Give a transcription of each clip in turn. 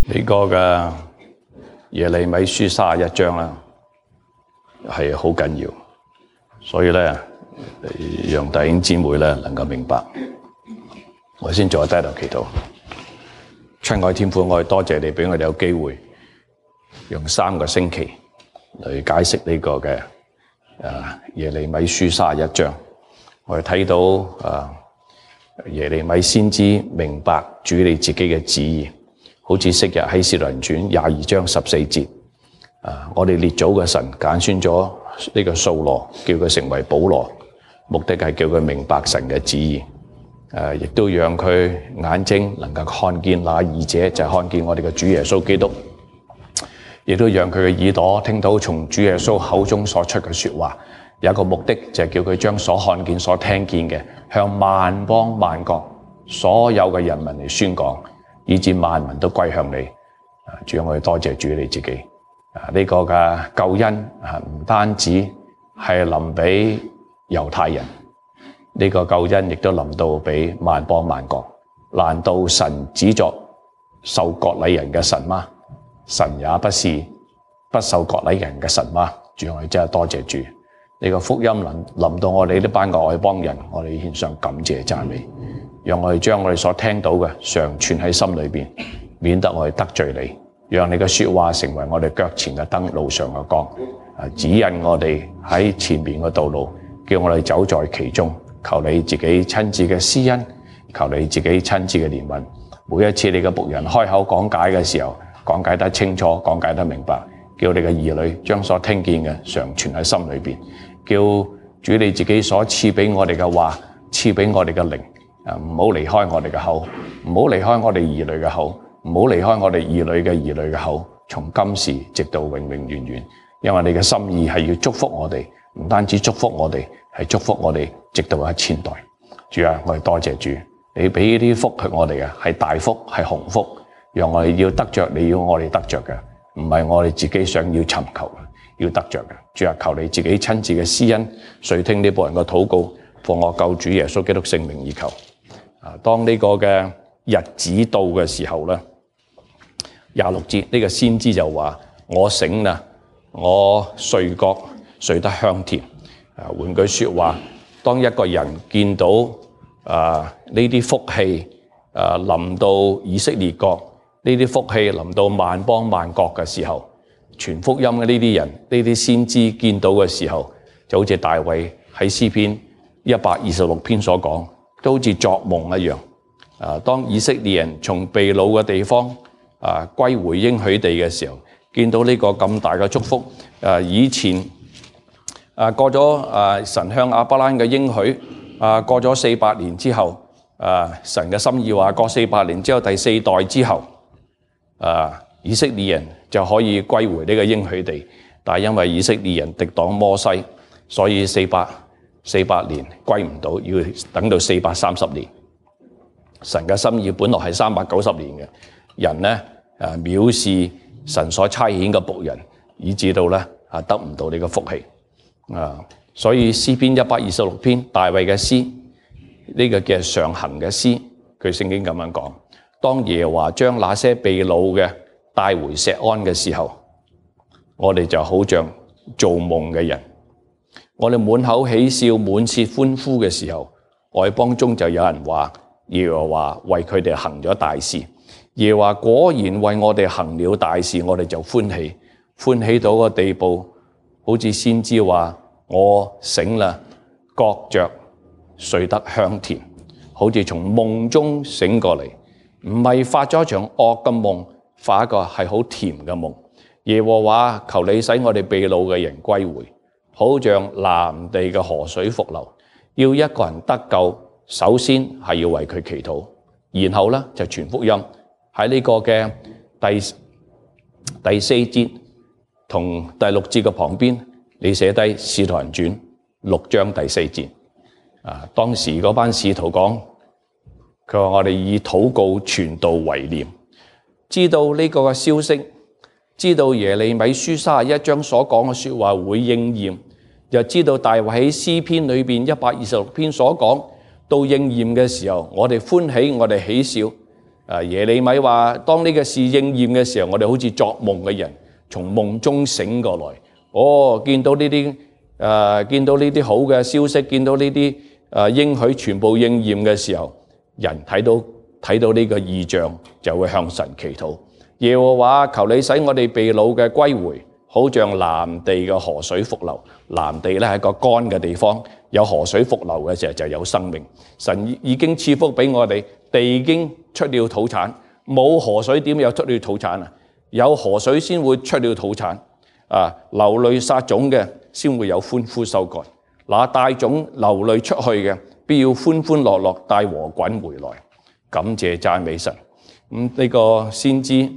呢個嘅耶利米書31章啦，係好緊要，所以咧，讓弟兄姊妹咧能夠明白。我先做下低頭祈禱。親愛天父，我哋多謝你俾我哋有機會用3個星期嚟解釋呢個嘅耶利米書31章。我哋睇到耶利米先知明白主你自己嘅旨意，好似昔日喺使徒行傳22章14節，我哋列祖嘅神揀選咗呢個掃羅，叫佢成為保羅，目的係叫佢明白神嘅旨意。亦都讓佢眼睛能夠看見那義者，就係看見我哋嘅主耶穌基督。亦都讓佢嘅耳朵聽到從主耶穌口中所出嘅說話。有一個目的就係叫佢將所看見、所聽見嘅向萬邦萬國所有嘅人民嚟宣講，以致萬民都歸向你。主啊，我哋多謝主你自己。呢個嘅救恩唔單止係臨俾猶太人。呢個救恩亦都臨到俾萬邦萬國。難道神只作受割禮人嘅神嗎？神也不是不受割禮人嘅神嗎？主，我哋真係多謝主。呢個福音臨到我哋呢班嘅外邦人，我哋獻上感謝讚美，讓我哋將我哋所聽到嘅常存喺心裏邊，免得我哋得罪你。讓你嘅說話成為我哋腳前嘅燈，路上嘅光，指引我哋喺前面嘅道路，叫我哋走在其中。求你自己親自嘅施恩，求你自己親自嘅憐憫。每一次你嘅僕人開口講解嘅時候，講解得清楚，講解得明白，叫你嘅兒女將所聽見嘅常存喺心裏邊，叫主你自己所賜俾我哋嘅話，賜俾我哋嘅靈，唔好離開我哋嘅口，唔好離開我哋兒女嘅口，唔好離開我哋兒女嘅兒女嘅口，從今時直到永永遠遠。因為你嘅心意係要祝福我哋，唔單止祝福我哋，係祝福我哋直到1000代。主啊，我哋多謝主，你俾呢啲福給我哋嘅係大福，係鴻福，讓我哋要得着你要我哋得着嘅，唔係我哋自己想要尋求嘅，要得着嘅。主啊，求你自己親自嘅施恩，垂聽呢僕人嘅禱告，奉我救主耶穌基督聖名而求。當呢個嘅日子到嘅時候咧，26節呢個先知就話：我醒啦，我睡覺睡得香甜。換句說話，當一個人見到呢啲福氣臨到以色列國，呢啲福氣臨到萬邦萬國嘅時候，傳福音嘅呢啲人，呢啲先知見到嘅時候，就好似大衛喺詩篇126篇所講，都好似作夢一樣。當以色列人從被擄嘅地方歸回應許地嘅時候，見到呢個咁大嘅祝福，以前過咗神向亞伯拉罕嘅應許，過咗400年之後，神嘅心意話過400年之後第4代之後，以色列人就可以歸回呢個應許地。但係因為以色列人敵擋摩西，所以400年歸唔到，要等到430年。神嘅心意本來係390年嘅，人呢藐視神所差遣嘅僕人，以致到咧得唔到呢個福氣。所以詩篇126篇大衛嘅詩，呢個叫上行嘅詩，佢聖經咁樣講：當耶和華將那些被擄嘅帶回錫安嘅時候，我哋就好像做夢嘅人，我哋滿口喜笑，滿切歡呼嘅時候，外邦中就有人話耶和華為佢哋行咗大事。耶和華果然為我哋行了大事，我哋就歡喜，歡喜到個地步，好似先知話：我醒啦，覺着睡得香甜，好似從夢中醒過嚟，唔係發咗一場惡嘅夢，發一個係好甜嘅夢。耶和華，求你使我哋被擄嘅人歸回，好像南地嘅河水復流。要一個人得救，首先係要為佢祈禱，然後咧就傳福音。喺呢個嘅第4節同第6節嘅旁邊，你寫低《使徒行傳》6章第4節。當時嗰班使徒講，佢話我哋以禱告傳道為念，知道呢個嘅消息，知道耶利米書31章所講嘅說話會應驗，又知道大衛喺詩篇裏邊126篇所講到應驗嘅時候，我哋歡喜，我哋喜笑。耶利米話：當呢個事應驗嘅時候，我哋好似作夢嘅人，從夢中醒過來。見到呢啲好嘅消息，見到呢啲應許全部應驗嘅時候，人睇到呢個異象，就會向神祈禱。耶和華，求你使我哋被擄嘅歸回，好像南地嘅河水復流。南地咧係一個乾嘅地方，有河水復流嘅時候就有生命。神已經賜福俾我哋，地已經出了土產。冇河水點有出了土產啊？有河水先會出了土產。流淚撒種嘅先會有歡呼收割。那帶種流淚出去嘅，必要歡歡樂樂帶禾捆回來。感謝讚美神。呢個先知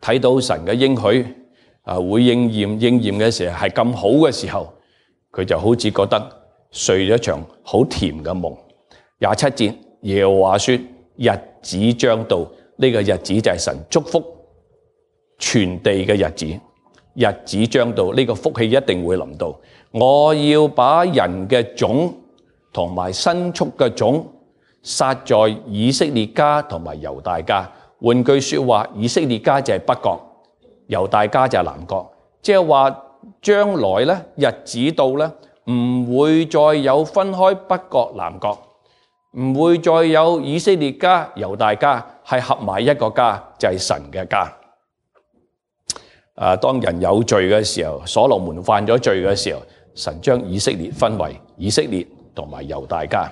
睇到神嘅應許會應驗嘅時候係咁好嘅時候，佢就好似覺得睡咗場好甜嘅夢。27節，耶和華說：日子將到，呢個日子就係神祝福全地嘅日子。日子將到，呢個福氣一定會臨到。我要把人嘅種同埋牲畜嘅種撒在以色列家同埋猶大家。換句說話，以色列家就係北國，猶大家就係南國。即係話將來咧，日子到咧，唔會再有分開北國南國，唔會再有以色列家猶大家，係合埋一個家，就係神嘅家。當人有罪嘅時候，所羅門犯咗罪嘅時候，神將以色列分為以色列同埋猶大家。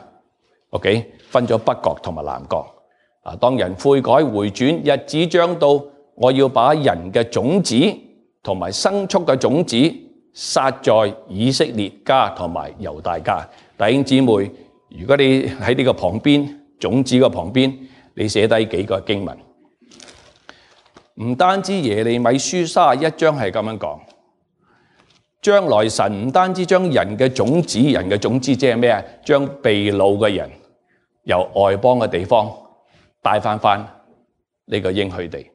OK， 分咗北國同埋南國。當人悔改回轉，日子將到，我要把人嘅種子同埋牲畜嘅種子撒在以色列家同埋猶大家。弟兄姊妹，如果你喺呢個旁邊，種子嘅旁邊，你寫低幾個經文。唔單止耶利米書31章係咁樣講，將來神唔單止將人嘅種子即係咩啊？將被擄嘅人由外邦嘅地方帶翻呢個應許地。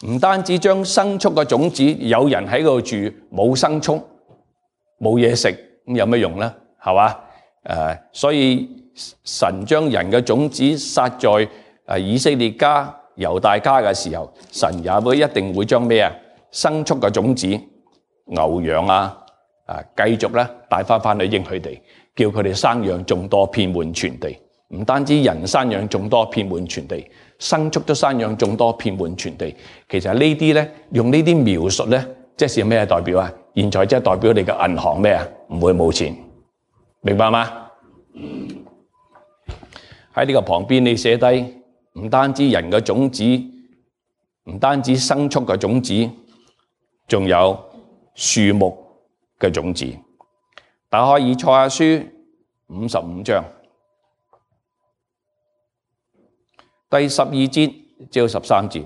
唔單止將牲畜嘅種子，有人喺度住冇牲畜冇嘢食，咁有咩用呢？係嘛？所以神將人嘅種子撒在以色列家猶大家嘅時候，神也會一定會將咩啊？牲畜嘅種子牛羊繼續咧帶翻去應許地，叫佢哋生養眾多，遍滿全地。唔單止人生養眾多，遍滿全地，牲畜都生養眾多，遍滿全地。其實呢啲咧，用呢啲描述咧，即係咩代表啊？現在即係代表你嘅銀行咩啊？唔會冇錢，明白嗎？喺呢個旁邊你寫低。唔單止人嘅種子，唔單止牲畜嘅種子，仲有樹木嘅種子。打開以賽亞書55章第12節至13節，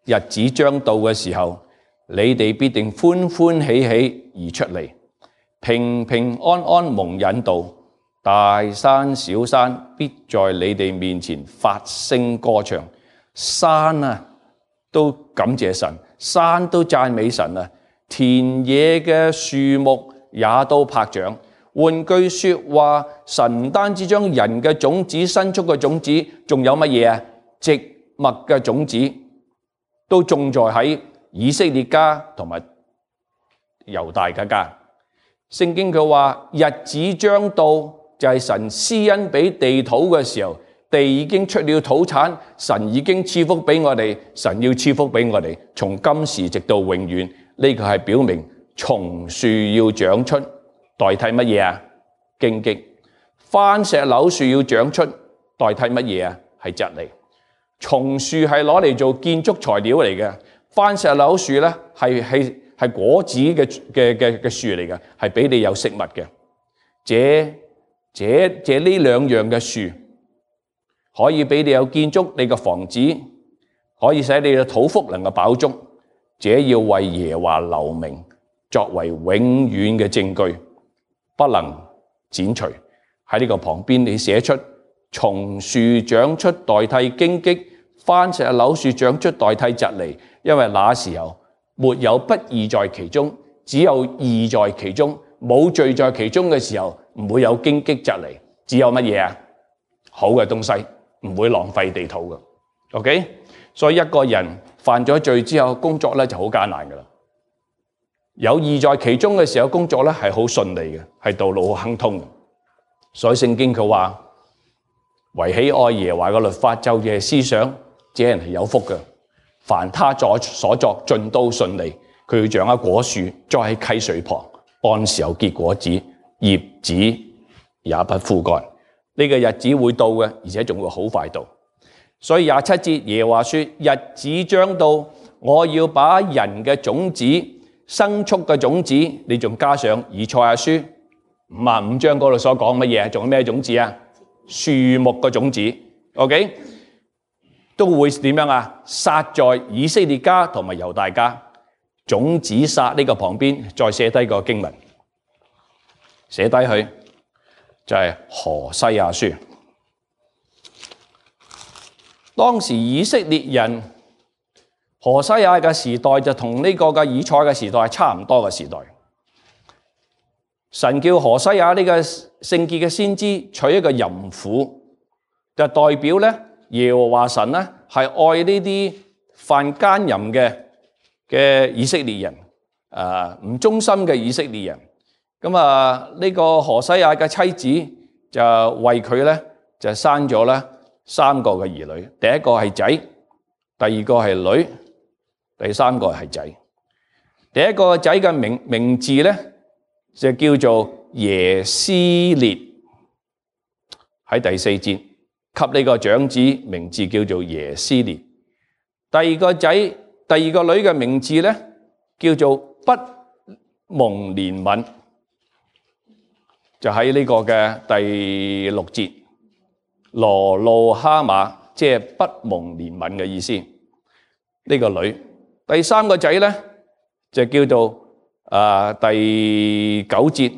日子將到嘅時候，你哋必定歡歡喜喜而出嚟，平平安安蒙引導。大山小山必在你哋面前發聲歌唱，山都感謝神，山都讚美神啊！田野嘅樹木也都拍掌。換句說話，神唔單止將人嘅種子、牲畜嘅種子，仲有乜嘢啊？植物嘅種子都種在喺以色列家同埋猶大嘅家。聖經佢話日子將到。就係神施恩俾地土嘅時候，地已經出了土產，神已經賜福俾我哋，神要賜福俾我哋，從今時直到永遠。呢個係表明松樹要長出，代替乜嘢啊？荊棘。番石榴樹要長出，代替乜嘢啊？係蒺藜。松樹係攞嚟做建築材料嚟嘅，番石榴樹咧係果子嘅樹嚟嘅，係俾你有食物嘅。這呢兩樣嘅樹可以俾你有建築你嘅房子，可以使你嘅土福能夠飽足。這要為耶和華留名，作為永遠嘅證據，不能剪除。喺呢個旁邊你寫出松樹長出代替荊棘，番石榴樹長出代替蒺藜，因為那時候沒有不義在其中，只有義在其中。冇罪在其中嘅時候，唔會有荊棘蒺藜，只有乜嘢啊？好嘅東西，唔會浪費地土嘅。OK， 所以一個人犯咗罪之後，工作咧就好艱難噶啦。有義在其中嘅時候，工作咧係好順利嘅，係道路好亨通嘅。所以聖經佢話，惟喜愛耶和華嘅律法，晝夜思想，這人係有福嘅。凡他所作盡都順利。佢要像一果樹栽喺溪水旁，按時候結果子，葉子也不枯乾。呢個日子會到嘅，而且仲會好快到。所以27節耶和華說：日子將到，我要把人嘅種子、牲畜嘅種子，你仲加上以賽亞書55章嗰度所講乜嘢？仲有咩種子啊？樹木嘅種子。OK， 都會點樣啊？撒在以色列家同埋猶大家。種子撒呢個旁邊再寫低個經文，寫低佢就係何西阿書。當時以色列人何西阿嘅時代就同呢個嘅以賽嘅時代係差唔多嘅時代。神叫何西阿呢個聖潔嘅先知娶一個淫婦，就代表咧耶和華神咧係愛呢啲犯奸淫嘅以色列人，唔忠心嘅以色列人。咁呢個何西阿嘅妻子就為佢咧就生咗咧3個嘅兒女，第一個係仔，第二個係女，第三個係仔。第一個仔嘅名字咧就叫做耶斯列，喺第4節給呢個長子名字叫做耶斯列。第二個女嘅名字咧叫做不蒙憐憫，就喺呢個嘅第6節，羅路哈馬，即係不蒙憐憫嘅意思。呢個女。第三個仔咧就叫做第9節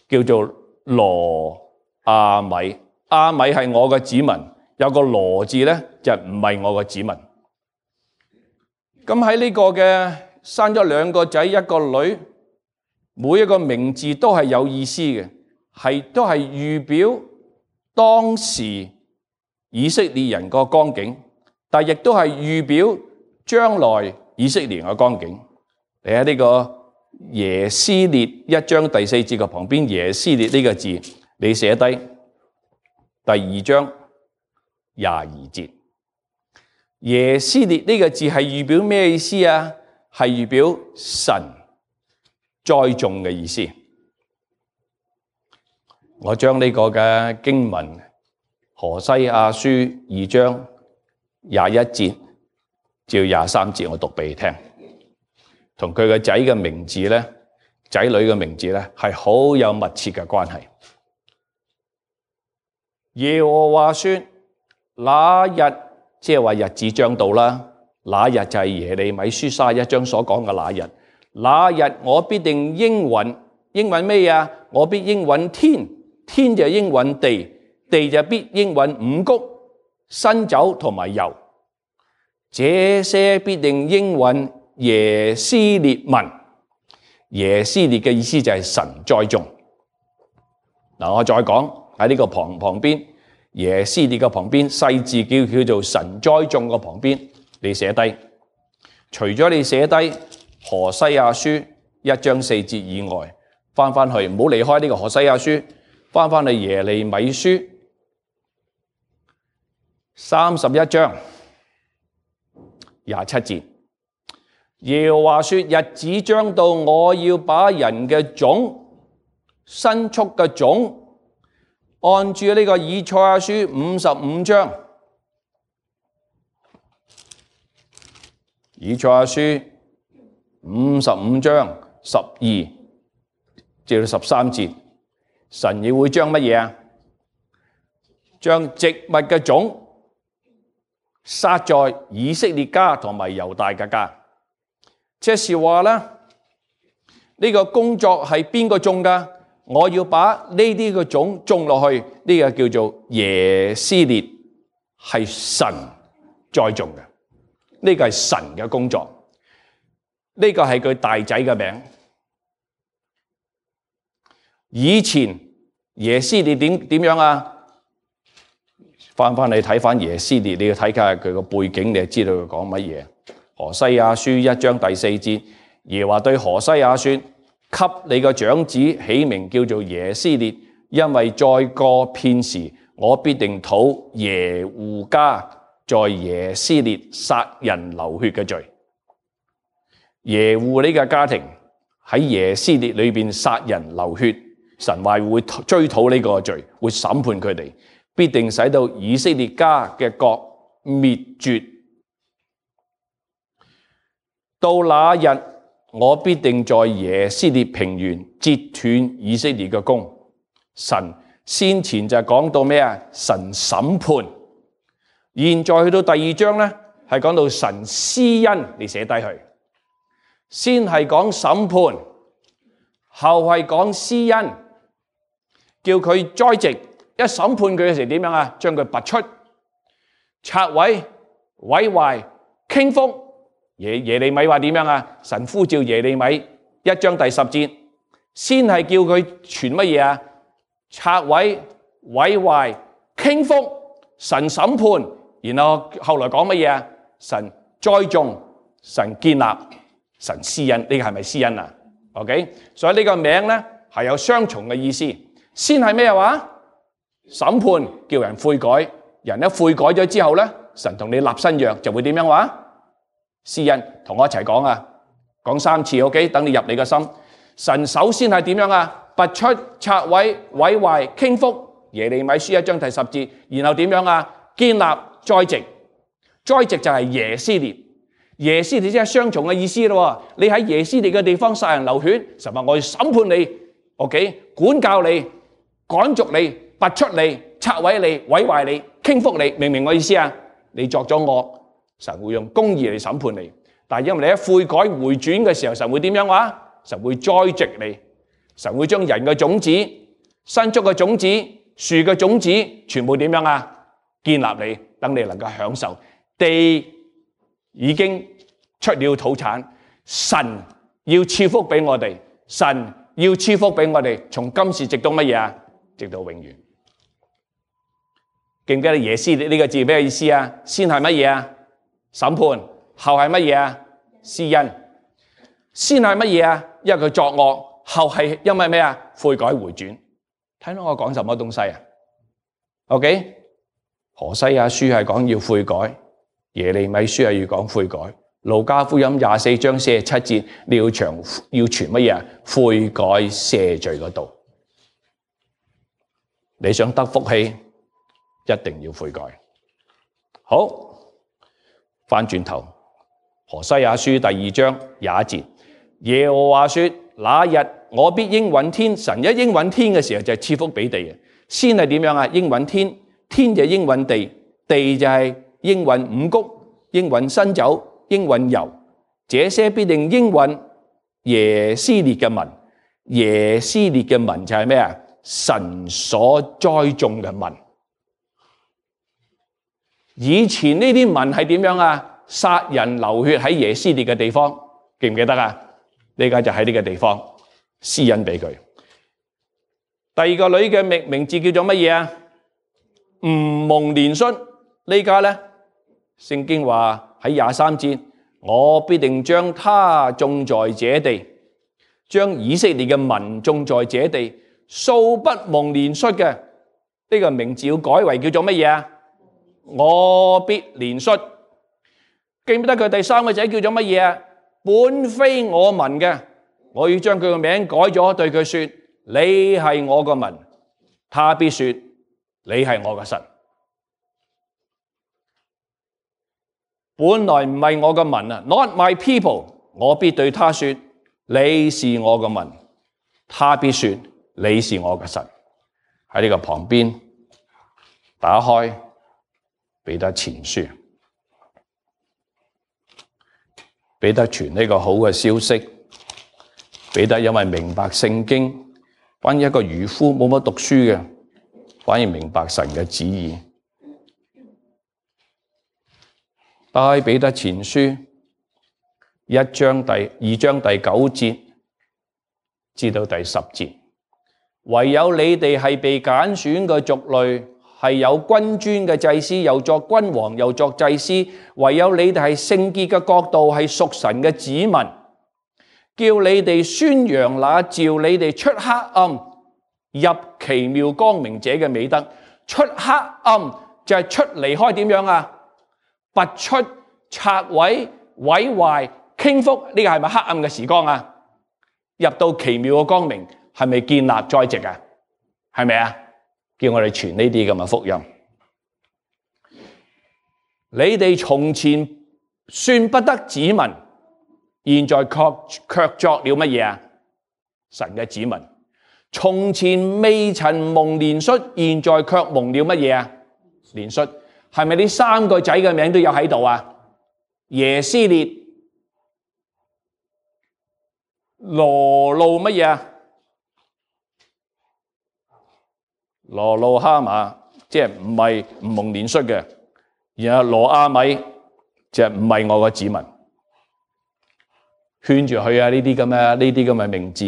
叫做羅亞米。亞米係我嘅子民，有個羅字咧就唔係我嘅子民。咁喺呢個嘅生咗2個仔1個女，每一個名字都係有意思嘅，都係預表當時以色列人個光景，但亦都係預表將來以色列人嘅光景。你喺呢個耶斯列1章第4節嘅旁邊，耶斯列呢個字你寫低第2章22節。耶斯列呢個字係預表咩意思啊？係預表神栽種嘅意思。我將呢個嘅經文何西阿書2章21節至23節我讀俾你聽，同佢個仔嘅名字咧，仔女嘅名字咧係好有密切嘅關係。耶和華說：那日，即係話日子將到啦，那日就係耶利米書31章所講嘅那日。那日我必定應允，應允咩啊？我必應允天，天就應允地，地就必應允五穀、新酒同埋油。這些必定應允耶斯列民。耶斯列嘅意思就係神栽種。嗱，我再講喺呢個旁邊。耶斯列嘅旁邊細字叫做神栽種嘅旁邊，你寫低。除咗你寫低何西阿書1章4節以外，翻去唔好離開呢個何西阿書，翻去耶利米書31章27節。耶和華說：日子將到，我要把人嘅種、牲畜嘅種，按住呢個以賽亞書55章，以賽亞書55章12至到13節，神亦會將乜嘢啊？將植物嘅種撒在以色列家同埋猶大嘅家。即是話咧，呢個工作係邊個種㗎？我要把呢啲嘅種種落去，呢個叫做耶斯列，係神栽種嘅。呢個係神嘅工作，呢個係佢大仔嘅名。以前耶斯列點樣啊？翻嚟睇翻耶斯列，你要睇下佢個背景，你就知道佢講乜嘢。何西阿書1章第4節，耶和華對何西阿說：給你個長子起名叫做耶斯列，因為再過片時，我必定討耶戶家在耶斯列殺人流血嘅罪。耶戶呢個家庭喺耶斯列裏邊殺人流血，神話會追討呢個罪，會審判佢哋，必定使到以色列家嘅國滅絕。到那日，我必定在耶斯列平原截斷以色列嘅弓。神先前就講到咩啊？神審判。現在去到第2章呢，係講到神施恩，你寫低佢。先係講審判，後係講施恩，叫佢栽植。一審判佢嘅時候點樣啊？將佢拔出、拆毀、毀壞、傾覆。耶利米話點樣啊？神呼召耶利米1章第10節，先係叫佢傳乜嘢啊？拆毀、毀壞、傾覆。神審判，然後後來講乜嘢啊？神栽種、神建立、神施恩。呢個係咪施恩啊 ？OK， 所以呢個名咧係有雙重嘅意思。先係咩話？審判，叫人悔改。人一悔改咗之後咧，神同你立新約就會點樣話？施恩。同我一齊講啊，講3次 OK， 等你入你個心。神首先係點樣啊？拔出、拆毀、毀壞、傾覆。耶利米書1章第10節，然後點樣啊？建立、栽植。栽植就係耶斯列。耶斯列即係雙重嘅意思咯。你喺耶斯列嘅地方殺人流血，神話我要審判你 ，OK， 管教你、趕逐你、拔出你、拆毀你、毀壞你、傾覆你，明唔明我意思啊？你作咗惡，神會用公義嚟審判你。但係因為你一悔改回轉嘅時候，神會點樣話？神會栽植你，神會將人嘅種子、牲畜嘅種子、樹嘅種子，全部點樣啊？建立你，等你能夠享受地已經出了土產。神要賜福俾我哋，神要賜福俾我哋，從今時直到乜嘢啊？直到永遠。記唔記得耶斯列呢個字咩意思啊？先係乜嘢啊？審判。後係乜嘢啊？施恩。先係乜嘢啊？因為佢作惡，後係因為咩啊？悔改回轉。睇到我講什麼東西啊 ？OK， 何西阿書係講要悔改，耶利米書係要講悔改，路加福音24章47節，你要傳乜嘢啊？悔改赦罪嗰度。你想得福氣，一定要悔改。好，翻轉頭。何西阿書第2章21節，耶和華說：那日我必應允天。神一應允天嘅時候就係賜福俾地嘅。先係點樣啊？應允天，天就應允地，地就係應允五穀、應允新酒、應允油。這些必定應允耶斯列嘅民。耶斯列嘅民就係咩啊？神所栽種嘅民。以前呢啲民係點樣啊？殺人流血喺耶斯列嘅地方，記唔記得啊？呢家就喺呢個地方施恩俾佢。第二個女嘅名字叫做乜嘢啊？唔蒙憐恤。呢家咧，聖經話喺23節，我必定將他種在這地，將以色列嘅民種在這地，素不蒙憐恤嘅。呢個名字要改為叫做乜嘢啊？我必憐恤。記唔記得佢第三個仔叫做乜嘢啊？本非我民嘅，我要將佢個名改咗，對佢說：你係我個民。他必說：你係我個神。本來唔係我個民啊 ，Not my people。我必對他說：你是我個民。他必說：你是我個神。喺呢個旁邊打開彼得前書。彼得傳呢個好嘅消息，彼得因為明白聖經，關於一個漁夫冇乜讀書嘅，反而明白神嘅旨意。打開彼得前書2章第9節至到第10節，唯有你哋係被揀選嘅族類，係有君尊嘅祭司，又作君王，又作祭司。唯有你哋係聖潔嘅國度，係屬神嘅子民，叫你哋宣揚那召你哋出黑暗入奇妙光明者嘅美德。出黑暗就係出離開點樣啊？拔出、拆毀、毀壞、傾覆，呢個係咪黑暗嘅時光啊？入到奇妙嘅光明，係咪建立栽植啊？係咪啊？叫我哋傳呢啲咁嘅福音。你哋從前算不得子民，現在卻作了乜嘢啊？神嘅子民。從前未曾蒙憐恤，現在卻蒙了乜嘢啊？憐恤。係咪呢三個仔嘅名都有喺度啊？耶斯列、羅路乜嘢啊？羅路哈馬，即係唔係唔蒙憐恤嘅，然後羅阿米就唔係我個子民，圈住佢啊！呢啲咁嘅名字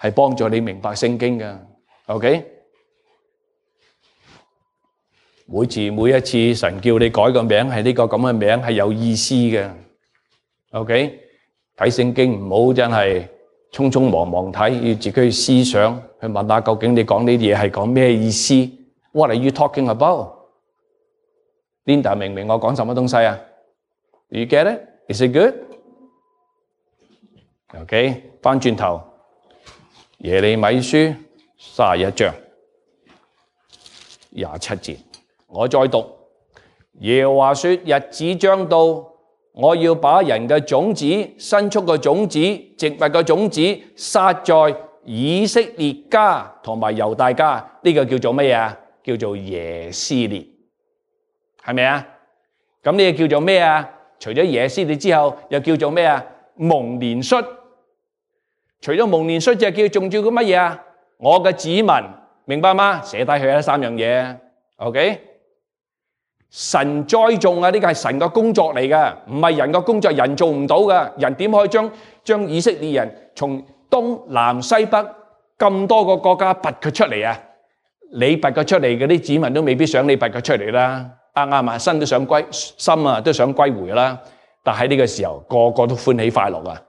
係幫助你明白聖經嘅。OK， 每一次神叫你改個名，係呢個咁嘅名係有意思嘅。OK， 睇聖經唔好真係匆匆忙忙睇，要自己去思想，去問下究竟你講呢啲嘢係講咩意思 ？What are you talking about？ Linda 明唔明我講什麼東西啊 ？You get it? Is it good? OK， 翻轉頭，耶利米書31章27節，我再讀。耶和華說：日子將到。我要把人嘅種子、牲畜嘅種子、植物嘅種子撒在以色列家同埋猶大家，呢個叫做乜嘢？叫做耶斯列，係咪啊？咁呢個叫做咩啊？除咗耶斯列之後，又叫做咩啊？蒙憐恤。除咗蒙憐恤，就仲叫個乜嘢啊？我嘅子民，明白嗎？寫低佢啦，三樣嘢。OK。神栽種啊，呢個係神嘅工作嚟嘅，唔係人嘅工作，人做唔到嘅。人點可以將以色列人從東南西北咁多個國家拔佢出嚟啊？你拔佢出嚟，嗰啲子民都未必想你拔佢出嚟啦。啱啊，心都想歸，心啊都想歸回啦。但喺呢個時候，個個都歡喜快樂啊，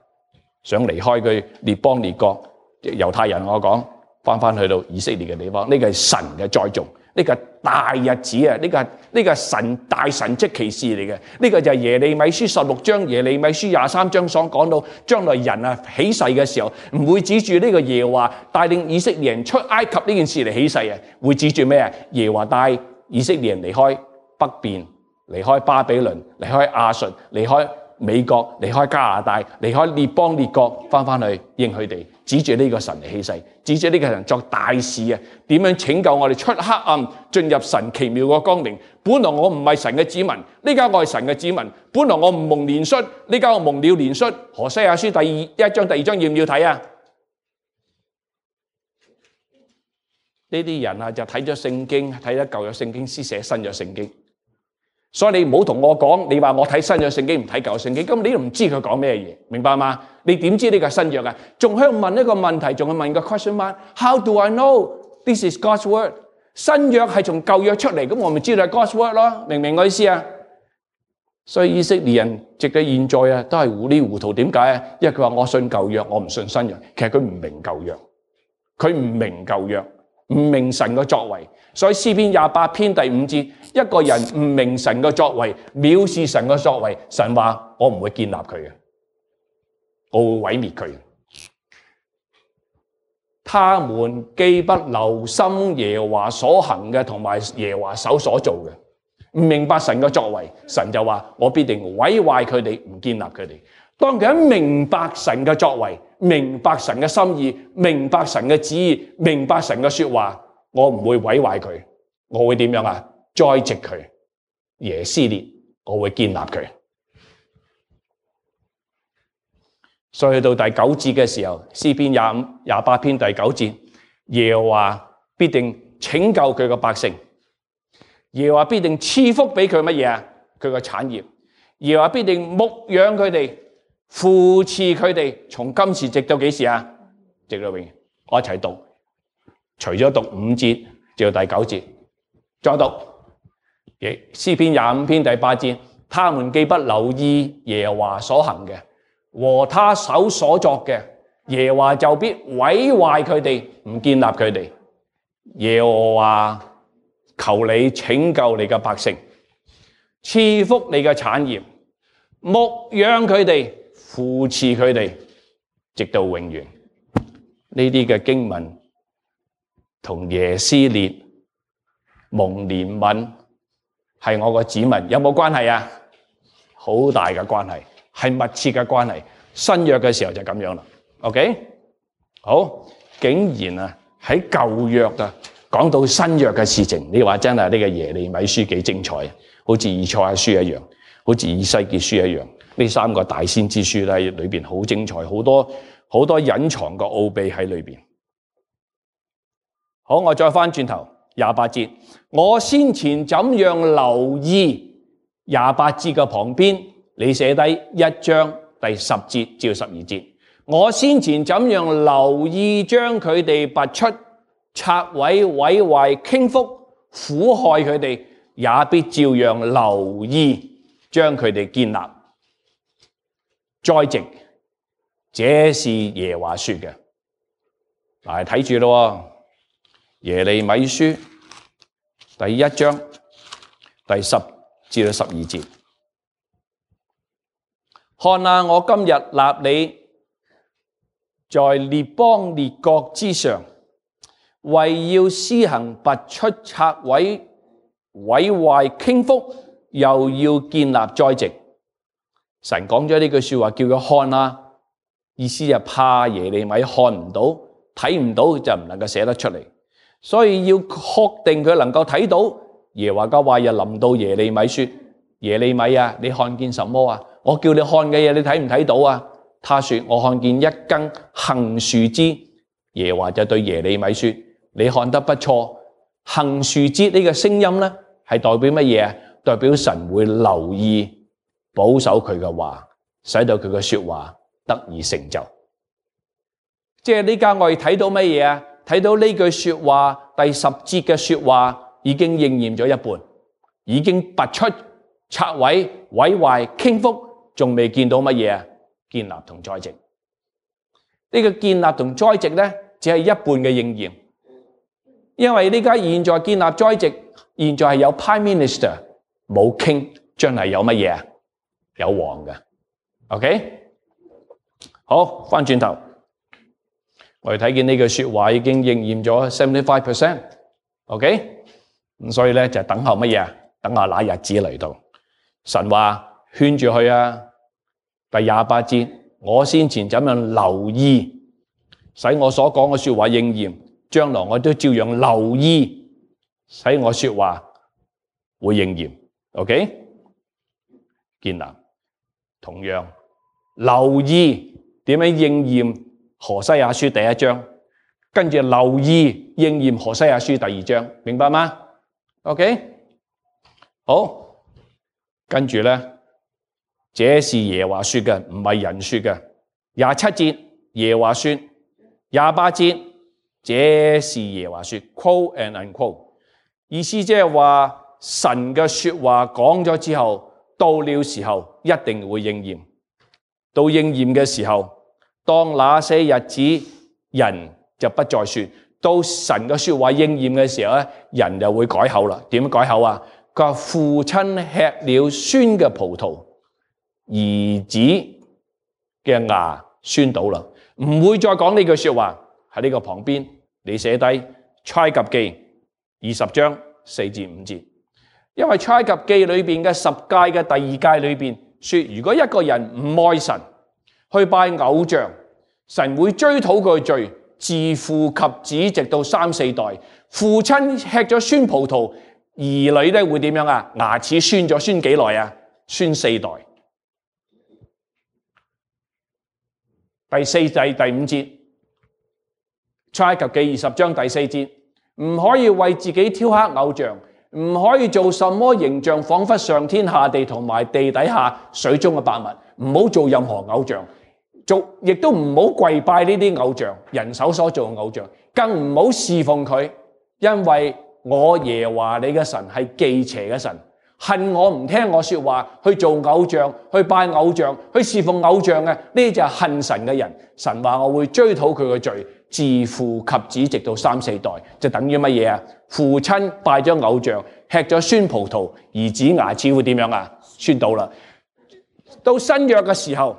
想離開佢列邦列國。猶太人我講翻去到以色列嘅地方，呢個係神嘅栽種。呢個大日子啊！呢個神大神蹟奇事嚟嘅。呢個就係耶利米書16章、耶利米書23章所講到，將來人啊起誓嘅時候，唔會指住呢個耶和華帶領以色列人出埃及呢件事嚟起誓啊，會指住咩啊？耶和華帶以色列人離開北邊，離開巴比倫，離開亞述，離開美國，離開加拿大，離開列邦列國，翻去應佢哋，指住呢個神嚟起誓，指住呢個神作大事啊！點樣拯救我哋出黑暗，進入神奇妙嘅光明？本來我唔係神嘅子民，呢家我係神嘅子民。本來我唔蒙憐恤，呢家我蒙了憐恤。何西阿書第1章、第2章要唔要睇啊？呢啲人啊就睇咗聖經，睇咗舊約聖經，先寫新約聖經。所以你唔好同我講，你話我睇新約聖經唔睇舊約聖經，咁你都唔知佢講咩嘢，明白嗎？你點知呢個係新約啊？仲喺度問一個問題，仲係問個 question mark。How do I know this is God's word？ 新約係從舊約出嚟，咁我咪知道係 God's word 咯，明唔明我意思啊？所以以色列人直到現在啊，都係糊裡糊塗。點解啊？因為佢話我信舊約，我唔信新約。其實佢唔明舊約，佢唔明舊約，唔明神嘅作為。所以詩篇28篇第5節，一個人唔明神嘅作為，藐視神嘅作為，神話我唔會建立佢嘅，我會毀滅佢。他們既不留心耶和華所行嘅，同埋耶和華手所做嘅，唔明白神嘅作為，神就話我必定毀壞佢哋，唔建立佢哋。當佢一明白神嘅作為，明白神嘅心意，明白神嘅旨意，明白神嘅說話，我唔會毀壞佢，我會點樣啊？栽植佢，耶斯列，我會建立佢。所以去到第9節嘅時候，詩篇28篇第9節，耶和華必定拯救佢嘅百姓，耶和華必定賜福俾佢乜嘢啊？佢嘅產業，耶和華必定牧養佢哋，扶持佢哋，從今時直到幾時啊？直到永遠。我一齊讀，除咗讀5節，直到第9節，再讀詩篇25篇第8節，他們既不留意耶和華所行嘅，和他手所作嘅，耶和華就必毀壞佢哋，唔建立佢哋。耶和華求你拯救你嘅百姓，賜福你嘅產業，牧養佢哋，扶持佢哋，直到永遠。呢啲嘅經文同耶斯列蒙憐憫係我個子民有冇關係啊？好大嘅關係，係密切嘅關係。新約嘅時候就咁樣啦。OK， 好，竟然啊喺舊約啊講到新約嘅事情，你話真係呢個耶利米書幾精彩啊！好似以賽亞書一樣，好似以西結書一樣，呢三個大先知書咧裏邊好精彩，好多隱藏嘅奧秘喺裏邊。好，我再翻轉頭28節，我先前怎樣留意28節嘅旁邊，你寫低1章第10節至12節。我先前怎樣留意將佢哋拔出、拆毀、毀壞、傾覆、苦害佢哋，也必照樣留意將佢哋建立、栽植。這是耶和華說嘅。嗱，睇住咯，耶利米書第1章第10至到12節。看啊，我今日立你在列邦列國之上，為要施行拔出、拆毀、毀壞、傾覆，又要建立、栽植。神講咗呢句說話，叫佢看啊，意思就怕耶利米看唔到、睇唔到，就唔能夠寫得出嚟。所以要確定佢能夠睇到。耶和華嘅話又臨到耶利米說：耶利米啊，你看見什麼啊？我叫你看嘅嘢，你睇唔睇到啊？他說：我看見一根杏樹枝。耶和華就對耶利米說：你看得不錯。杏樹枝呢個聲音呢，係代表乜嘢啊？代表神會留意保守佢嘅話，使到佢嘅說話得以成就。即係呢家我哋睇到乜嘢啊？睇到呢句說話第10節嘅說話已經應驗咗一半，已經拔出、拆毀、毀壞、傾覆，仲未見到乜嘢啊？建立同栽植。呢個建立同栽植呢，只係一半嘅應驗，因為呢家現在建立栽植，現在係有 Prime Minister 冇 King，將來有乜嘢啊？有王嘅。OK， 好，翻轉頭。我哋睇見呢句說話已經應驗咗 75%，OK， 咁所以咧就等候乜嘢啊？等候那日子嚟到。神話圈住佢啊！第28節，我先前怎樣留意，使我所講嘅說話應驗，將來我都照樣留意，使我說話會應驗。OK， 建立同樣留意點樣應驗。何西阿書第1章，跟住留意應驗何西阿書第2章，明白嗎 ？OK， 好，跟住呢，這是耶和華說嘅，唔係人說嘅。27節耶和華說，28節這是耶和華說 ，quote and unquote， 意思即係話神嘅說話講咗之後，到了時候一定會應驗。到應驗嘅時候，當那些日子，人就不再說。到神嘅說話應驗嘅時候咧，人就會改口啦。點改口啊？佢話父親吃了酸嘅葡萄，兒子嘅牙酸倒啦，唔會再講呢句說話。喺呢個旁邊，你寫低出埃及記20章4至5節，因為出埃及記裏邊嘅10誡嘅第2誡裏邊說，如果一個人唔愛神，去拜偶像，神會追討佢罪，自父及子直到3、4代。父親吃咗酸葡萄，兒女咧會點樣啊？牙齒酸咗，酸幾耐啊？酸4代。第4至第5節，出埃及記20章第4節，唔可以為自己雕刻偶像，唔可以做什麼形象，仿佛上天下地同埋地底下水中嘅百物，唔好做任何偶像。亦都唔好跪拜呢啲偶像，人手所做嘅偶像，更唔好侍奉佢，因為我耶和華你嘅神係忌邪嘅神，恨我唔聽我說話，去做偶像，去拜偶像，去侍奉偶像嘅，呢就係恨神嘅人。神話我會追討佢嘅罪，自父及子直到3、4代，就等於乜嘢啊？父親拜咗偶像，吃咗酸葡萄，兒子牙齒會點樣啊？酸倒啦。到新約嘅時候，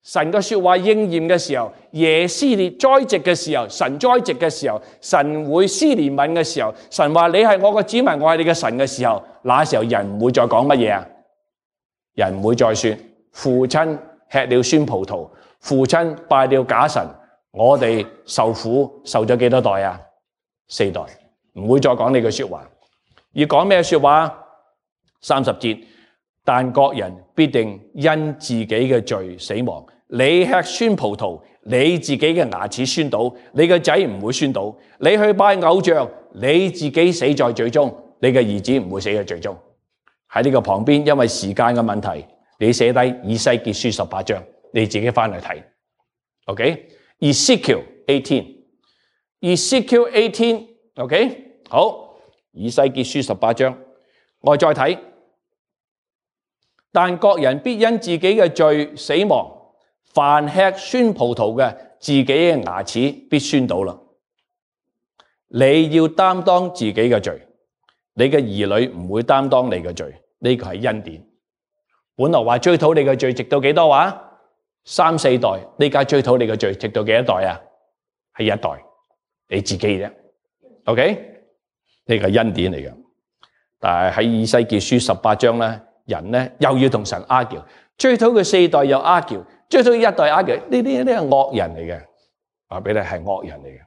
神嘅說話應驗嘅時候，耶斯列栽植嘅時候，神栽植嘅時候，神會施憐憫嘅時候，神話你係我嘅子民，我係你嘅神嘅時候，那時候人唔會再講乜嘢啊？人唔會再說父親吃了酸葡萄，父親拜了假神，我哋受苦受咗幾多代啊？4代，唔會再講呢句說話。要講咩說話？30節。但各人必定因自己嘅罪死亡。你吃酸葡萄，你自己嘅牙齒酸倒，你嘅仔唔會酸倒。你去拜偶像，你自己死在罪中，你嘅兒子唔會死在罪中。喺呢個旁邊，因為時間嘅問題，你寫低以西結書18章，你自己翻嚟睇。OK，Ezekiel 18，OK，好，以西結書18章，我再睇。但各人必因自己嘅罪死亡，凡吃酸葡萄嘅，自己嘅牙齒必酸倒啦。你要擔當自己嘅罪，你嘅兒女唔會擔當你嘅罪，呢個係恩典。本來話追討你嘅罪，直到幾多話？3、4代，呢家追討你嘅罪，直到幾多代啊？係1代，你自己啫。OK， 呢個係恩典嚟嘅。但係喺以西結書18章咧。人咧又要同神 argue， 追討佢4代又 argue， 追討1代 argue， 呢啲係惡人嚟嘅，話俾你係惡人嚟嘅。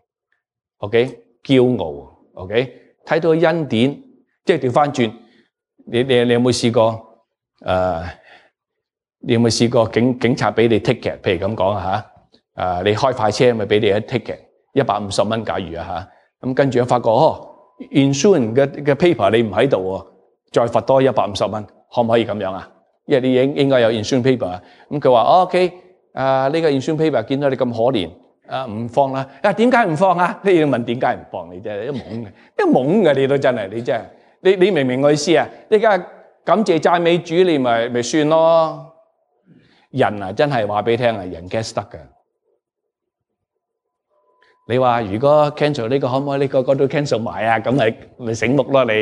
OK， 驕傲。OK， 睇到恩典，即係調翻轉，你有冇試過？你有冇試過警察俾你 ticket？ 譬如咁講吓，你開快車咪俾你一 ticket 150蚊，假如啊吓，咁跟住發覺insurance 嘅 paper 你唔喺度喎，再罰多150蚊。可唔可以咁樣啊？因為你應該有 insurance paper 啊。咁佢話 OK， 呢個 insurance paper 見到你咁可憐，唔放啦。點解唔放啊？你要問點解唔放？你真係一懵嘅，你都真係你真係你明唔明我意思啊？你而家感謝讚美主，你咪算咯。人啊，真係話俾你聽啊，人 get 得㗎。你話如果 cancel 呢個可唔可以呢個都 cancel 埋啊？咁咪醒目咯，你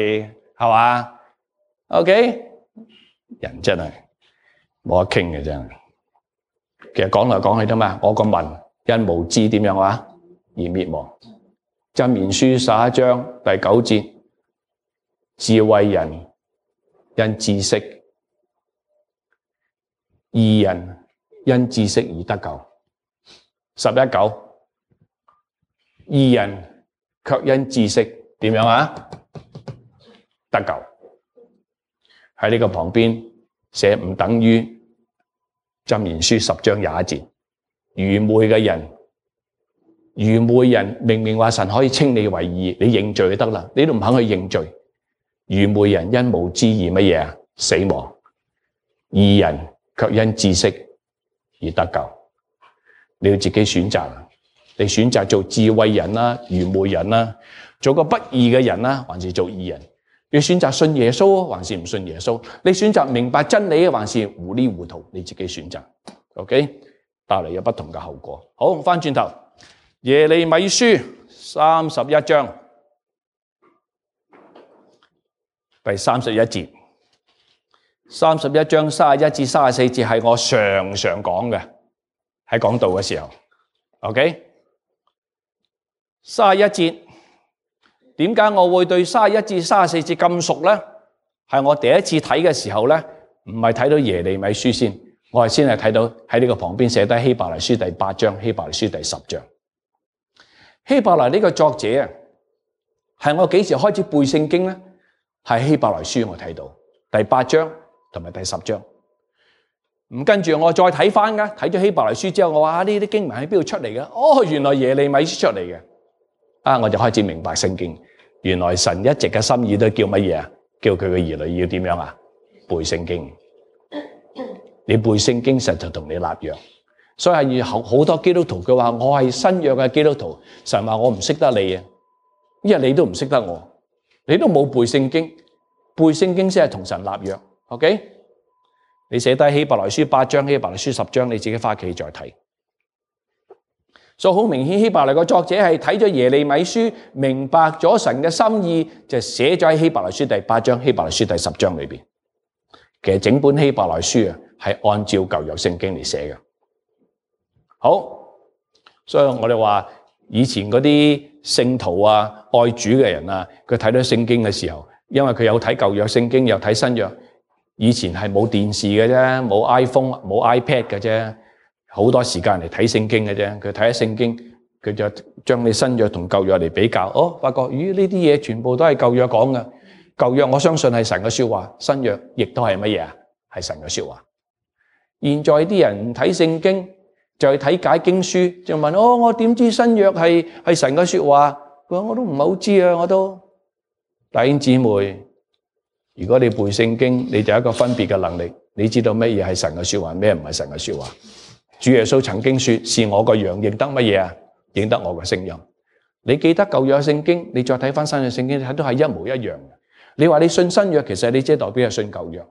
係嘛 ？OK。人真係冇得傾嘅真係，其實講來講去啫嘛。我個民因無知點樣話而滅亡。箴言書11章第9節，智慧人因知識，義人因知識而得救。11.9，義人卻因知識點樣啊得救。喺呢個旁邊寫唔等於箴言書10章21節，愚昧人明明話神可以稱你為義，你認罪就得啦，你都唔肯去認罪。愚昧人因無知而乜嘢啊？死亡。義人卻因知識而得救。你要自己選擇，你選擇做智慧人啦、愚昧人啦，做個不義嘅人啦，還是做義人？你選擇信耶穌還是唔信耶穌？你選擇明白真理還是糊裡糊塗？你自己選擇。OK， 帶嚟有不同嘅後果。好，翻轉頭，耶利米書31章第31節，31章31至34節係我常常講嘅，喺講道嘅時候。OK， 31節。點解我會對31至34節咁熟呢？係我第一次睇嘅時候呢，唔係睇到耶利米書先，我係先係睇到喺呢個旁邊寫低希伯來書第8章、希伯來書第10章。希伯來呢個作者啊，係我幾時開始背聖經呢？係希伯來書我睇到第8章同埋第10章。咁跟住我再睇翻㗎，睇咗希伯來書之後，我話呢啲經文喺邊度出嚟嘅？哦，原來耶利米書出嚟嘅。我就開始明白聖經。原來神一直嘅心意都叫乜嘢啊？叫佢嘅兒女要點樣啊？背聖經。你背聖經神就同你立約。所以係好多基督徒佢話我係新約嘅基督徒，神話我唔識得你啊，因為你都唔識得我。你都冇背聖經，背聖經先係同神立約。OK， 你寫低希伯來書8章、希伯來書10章，你自己返屋企再睇。所以好明顯，希伯來個作者係睇咗耶利米書，明白咗神嘅心意，就寫咗喺希伯來書第8章、希伯來書第10章裏邊。其實整本希伯來書啊，係按照舊約聖經嚟寫嘅。好，所以我哋話以前嗰啲聖徒啊、愛主嘅人啊，佢睇到聖經嘅時候，因為佢有睇舊約聖經，又睇新約。以前係冇電視嘅啫，冇 iPhone、冇 iPad 嘅啫。好多時間嚟睇聖經嘅啫，佢睇咗聖經，佢就將你新約同舊約嚟比較，發覺咦呢啲嘢全部都係舊約講嘅。舊約我相信係神嘅說話，新約亦都係乜嘢啊？係神嘅說話。現在啲人唔睇聖經，就去睇解經書，就問我點知新約係神嘅說話？佢話我都唔係好知啊，我都。弟兄姊妹，如果你背聖經，你就有一個分別嘅能力，你知道乜嘢係神嘅說話，咩唔係神嘅說話。主耶穌曾經說：是我個羊認得乜嘢啊？認得我個聲音。你記得舊約聖經，你再睇翻新約聖經，你睇到係一模一樣嘅。你話你信新約，其實你即係代表係信舊約。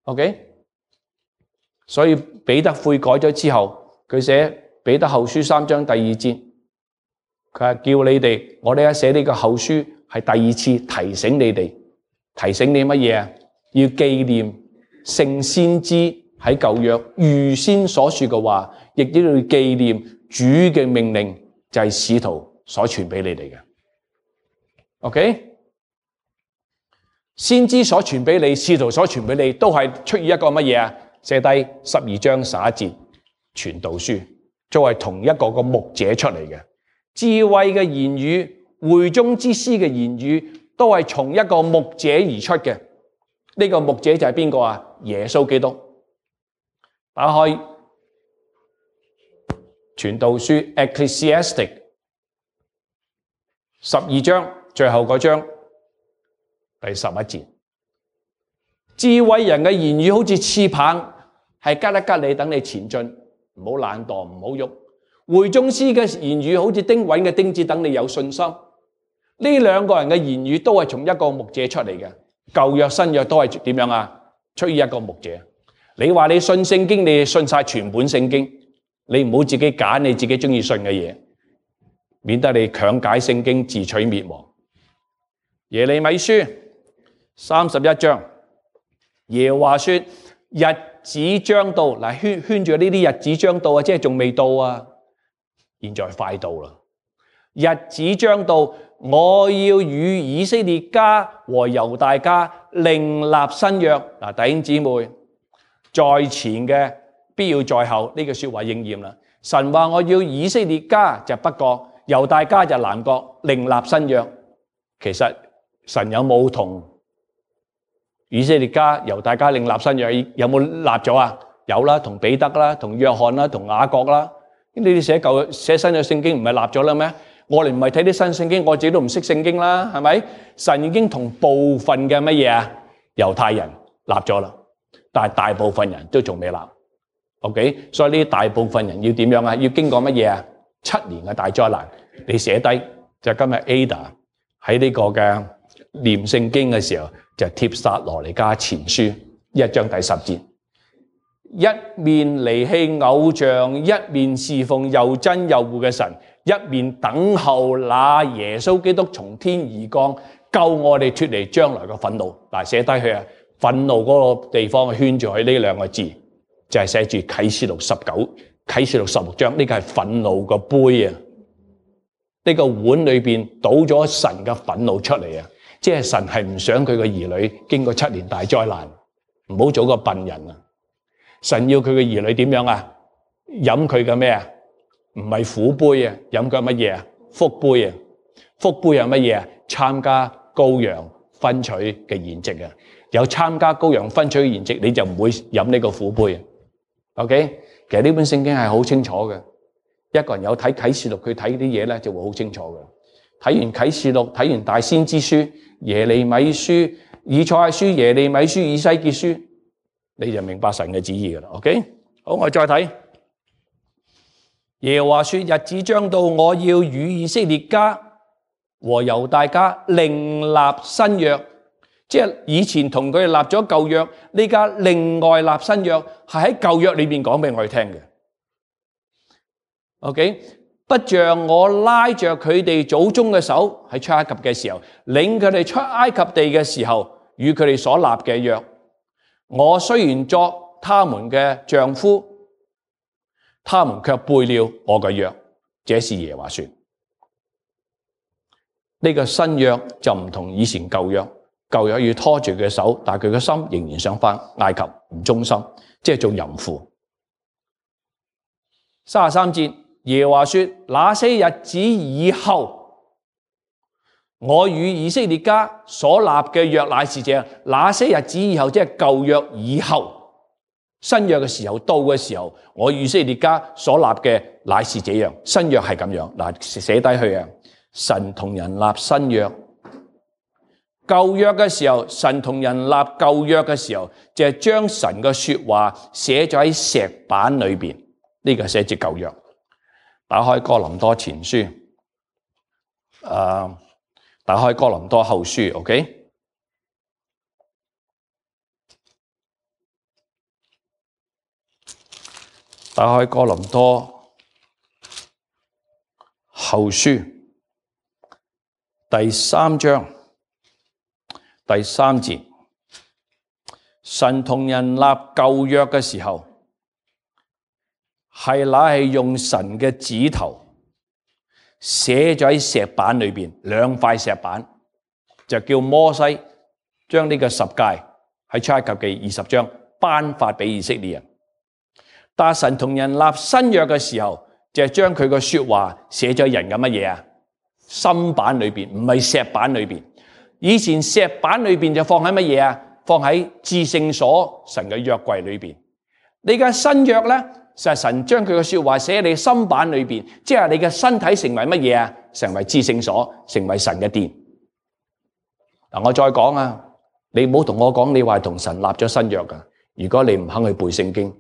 OK？所以彼得悔改咗之後，佢寫彼得後書3章第2節，佢話叫你哋，我哋寫呢個後書係第二次提醒你哋，提醒你乜嘢啊？要紀念聖先知喺舊約預先所說嘅話，亦都要紀念主嘅命令，就係使徒所傳俾你哋嘅。OK， 先知所傳俾你，使徒所傳俾你，都係出於一個乜嘢啊？寫低12章11節傳道書，作為同一個牧者出嚟嘅智慧嘅言語，會中之師嘅言語，都係從一個牧者而出嘅。呢個牧者就係邊個啊？耶穌基督。打開傳道書 Ecclesiastic 12章最後嗰章第11節，智慧人嘅言語好似刺棒，係吉一吉你，等你前進，唔好懶惰，唔好喐。會中師嘅言語好似釘穩嘅釘子，等你有信心。呢兩個人嘅言語都係從一個牧者出嚟嘅，舊約新約都係點樣啊？出於一個牧者。你話你信聖經，你信晒全本聖經，你唔好自己揀你自己中意信嘅嘢，免得你強解聖經自取滅亡。耶利米書31章，耶和華說：日子將到，嗱圈住呢啲日子將到啊，即係仲未到啊，現在快到啦。日子將到，我要與以色列家和猶大家另立新約。嗱，弟兄姊妹，在前嘅必要在後，呢句說話應驗啦。神話我要以色列家就北國，猶大家就南國，另立新約。其實神有冇同以色列家、猶大家另立新約？有冇立咗啊？有啦，同彼得啦，同約翰啦，同雅各啦。你哋寫新約聖經唔係立咗啦咩？我哋唔係睇啲新聖經，我自己都唔識聖經啦，係咪？神已經同部分嘅乜嘢啊？猶太人立咗啦。但係大部分人都仲未立 ，OK？ 所以呢大部分人要點樣啊？要經過乜嘢啊？7年嘅大災難，你寫低就今日 Ada 喺呢個嘅念聖經嘅時候，就帖撒羅尼迦前書1章第10節，一面離棄偶像，一面侍奉又真又活嘅神，一面等候那耶穌基督從天而降，救我哋脫離將來嘅憤怒。嗱，寫低佢啊！憤怒嗰個地方圈住佢呢兩個字，就係寫住啟示錄19、啟示錄16章，呢個係憤怒個杯啊！呢個碗裏邊倒咗神嘅憤怒出嚟啊！即係神係唔想佢嘅兒女經過7年大災難，唔好做個笨人啊！神要佢嘅兒女點樣啊？飲佢嘅咩啊？唔係苦杯啊，飲佢乜嘢啊？福杯啊！福杯係乜嘢啊？參加羔羊分取嘅筵席啊！有參加羔羊分取嘅筵席，你就唔會飲呢個苦杯。OK， 其實呢本聖經係好清楚嘅。一個人有睇啟示錄，佢睇啲嘢咧就會好清楚嘅。睇完啟示錄，睇完大先知書、耶利米書、以賽亞書、耶利米書、以西結書，你就明白神嘅旨意噶啦。OK， 好，我再睇。耶和華說：日子將到，我要與以色列家和猶大家另立新約，即係以前同佢哋立咗舊約，呢家另外立新約，係喺舊約裏邊講俾我哋聽嘅。OK， 不像我拉着佢哋祖宗嘅手喺出埃及嘅時候，領佢哋出埃及地嘅時候，與佢哋所立嘅約，我雖然作他們嘅丈夫，他們卻背了我嘅約。這是耶和華說。呢個新約就唔同以前舊約，舊約要拖住佢嘅手，但係佢嘅心仍然想返埃及，唔忠心，即係做淫婦。33節，耶和華說：那些日子以後，我與以色列家所立嘅約乃是這樣。那些日子以後，即係舊約以後。新約嘅時候到嘅時候，我以色列家所立嘅乃是這樣。新約係咁樣，嗱，寫低去啊。神同人立新約，舊約嘅時候，神同人立舊約嘅時候，就係將神嘅說話寫咗喺石板裏邊。呢個寫住舊約。打開哥林多前書，打開哥林多後書 ，OK。打開哥林多後書第3章第3節，神同人立舊約嘅時候，係用神嘅指頭寫咗喺石板裏邊，2塊石板，就叫摩西將呢個十誡喺出埃及記20章頒發俾以色列人。但神同人立新約嘅時候，就係將佢個說話寫咗人嘅乜嘢啊？心板裏邊，唔係石板裏邊。以前石板裏邊就放喺乜嘢啊？放喺至聖所神嘅約櫃裏邊。你嘅新約咧，就係神將佢嘅說話寫喺你心板裏邊，即係你嘅身體成為乜嘢啊？成為至聖所，成為神嘅殿。嗱，我再講啊，你唔好同我講你話同神立咗新約噶。如果你唔肯去背聖經，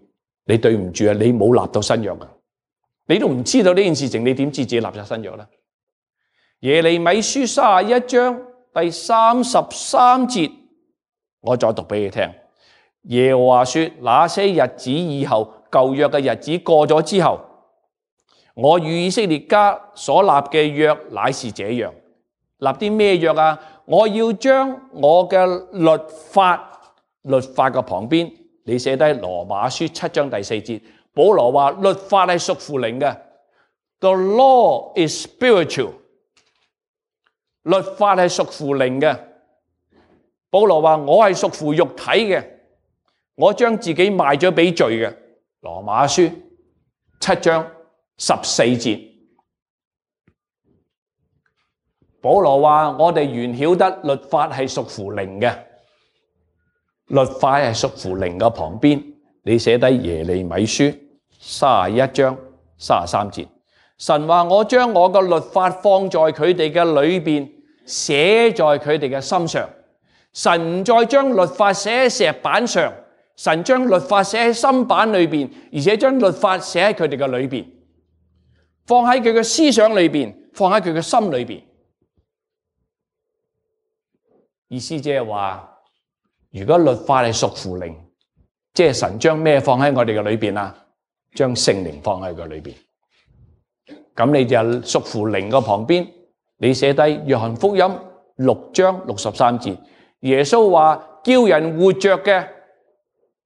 你對唔住啊！你冇立到新約啊！你都唔知道呢件事情，你點知自己立咗新約呢？耶利米書31章第33節，我再讀俾你聽。耶和華說：那些日子以後，舊約嘅日子過咗之後，我與以色列家所立嘅約乃是這樣。立啲咩約啊？我要將我嘅律法嘅旁邊。你寫低羅馬書7章第4節，保羅話律法係屬乎靈嘅 ，The law is spiritual， 律法係屬乎靈嘅。保羅話我係屬乎肉體嘅，我將自己賣咗俾罪嘅。羅馬書7章14節，保羅話我哋原曉得律法係屬乎靈嘅。律法係屬乎靈嘅旁邊，你寫低耶利米書31章33節。神話我將我嘅律法放在佢哋嘅裏邊，寫在佢哋嘅心上。神唔再將律法寫喺石板上，神將律法寫喺心板裏邊，而且將律法寫喺佢哋嘅裏邊，放喺佢嘅思想裏邊，放喺佢嘅心裏邊。意思即係話，如果律法係屬乎靈，即係神將咩放喺我哋嘅裏邊啊？將聖靈放喺佢裏邊。咁你就屬乎靈嘅旁邊，你寫低約翰福音6章63節，耶穌話叫人活着嘅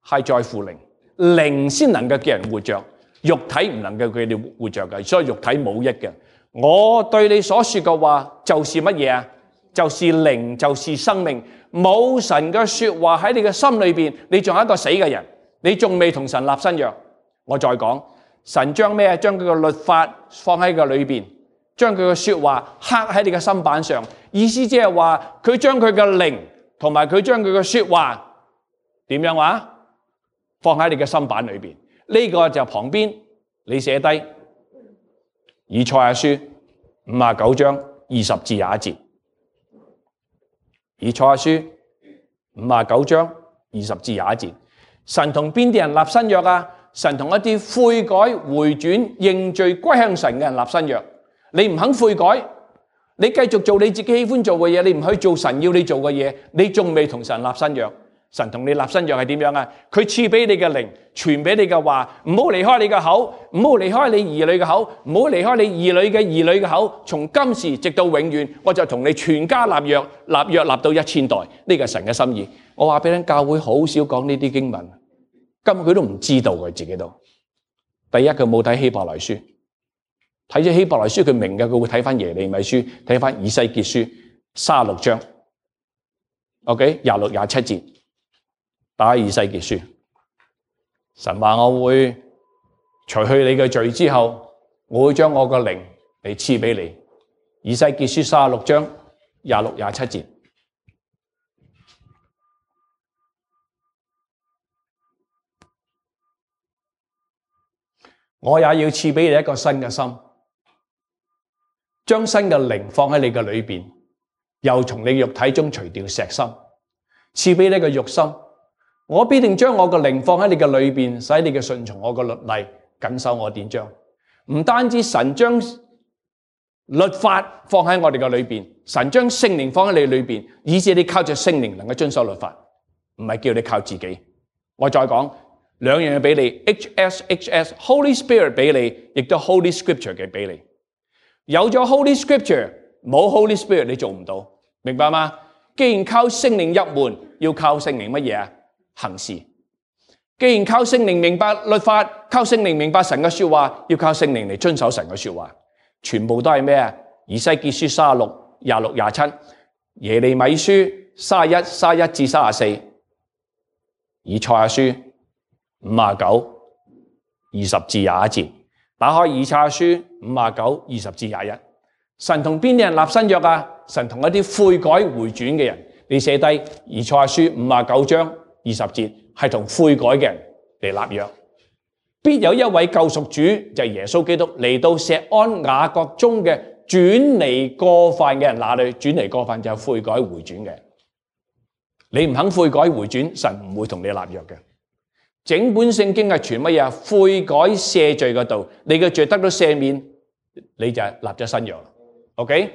係在乎靈，靈先能夠叫人活着，肉體唔能夠叫你活着嘅，所以肉體冇益嘅。我對你所說嘅話就是乜嘢啊？就是靈，就是生命。冇神嘅說話喺你嘅心裏邊，你仲係一個死嘅人，你仲未同神立新約。我再講，神將咩？將佢嘅律法放喺個裏邊，將佢嘅說話刻喺你嘅心板上。意思即係話，佢將佢嘅靈同埋佢將佢嘅說話點樣話？放喺你嘅心板裏邊。呢個就旁邊你寫低以賽亞書59章20至21節。以賽亞書59章20至21節，神同邊啲人立新約啊？神同一啲悔改、回轉、認罪、歸向神嘅人立新約。你唔肯悔改，你繼續做你自己喜歡做嘅嘢，你唔去做神要你做嘅嘢，你仲未同神立新約。神同你立新約係點樣啊？佢賜俾你嘅靈，傳俾你嘅話，唔好離開你嘅口，唔好離開你兒女嘅口，唔好離開你兒女嘅兒女嘅口。從今時直到永遠，我就同你全家立約，立約立到1,000代。呢個係神嘅心意。我話俾你聽，教會好少講呢啲經文，根本佢都唔知道佢自己都。第一，佢冇睇希伯來書，睇咗希伯來書佢明嘅，佢會睇翻耶利米書，睇翻以西結書36章，OK 26、27節。打以西結書，神話我會除去你嘅罪之後，我會將我個靈嚟賜俾你。以西結書36章26、27節，我也要賜俾你一個新嘅心，將新嘅靈放喺你嘅裏邊，又從你肉體中除掉石心，賜俾你個肉心。我必定將我嘅靈放喺你嘅裏邊，使你嘅順從我嘅律例，謹守我典章。唔單止神將律法放喺我哋嘅裏邊，神將聖靈放喺你裏邊，以致你靠着聖靈能夠遵守律法，唔係叫你靠自己。我再講兩樣嘢俾你 ，HS Holy Spirit 俾你，亦都 Holy Scripture 嘅俾你。有咗 Holy Scripture，冇 Holy Spirit 你做唔到，明白嗎？既然靠聖靈入門，要靠聖靈乜嘢啊？行事。既然靠聖靈明白律法，靠聖靈明白神嘅說話，要靠聖靈嚟遵守神嘅說話，全部都係咩啊？以西結書36、26、27，耶利米書31至34，以賽亞書59、20至21節。打開以賽亞書59、20至21，神同邊啲人立新約啊？神同一啲悔改回轉嘅人。你寫低以賽亞書59章20節，係同悔改嘅人嚟立約。必有一位救贖主，就係耶穌基督嚟到錫安雅各中嘅轉離過犯嘅人那裏。轉離過犯就係悔改回轉嘅。你唔肯悔改回轉，神唔會同你立約嘅。整本聖經係傳乜嘢？悔改赦罪嘅道，你嘅罪得到赦免，你就立咗新約。OK，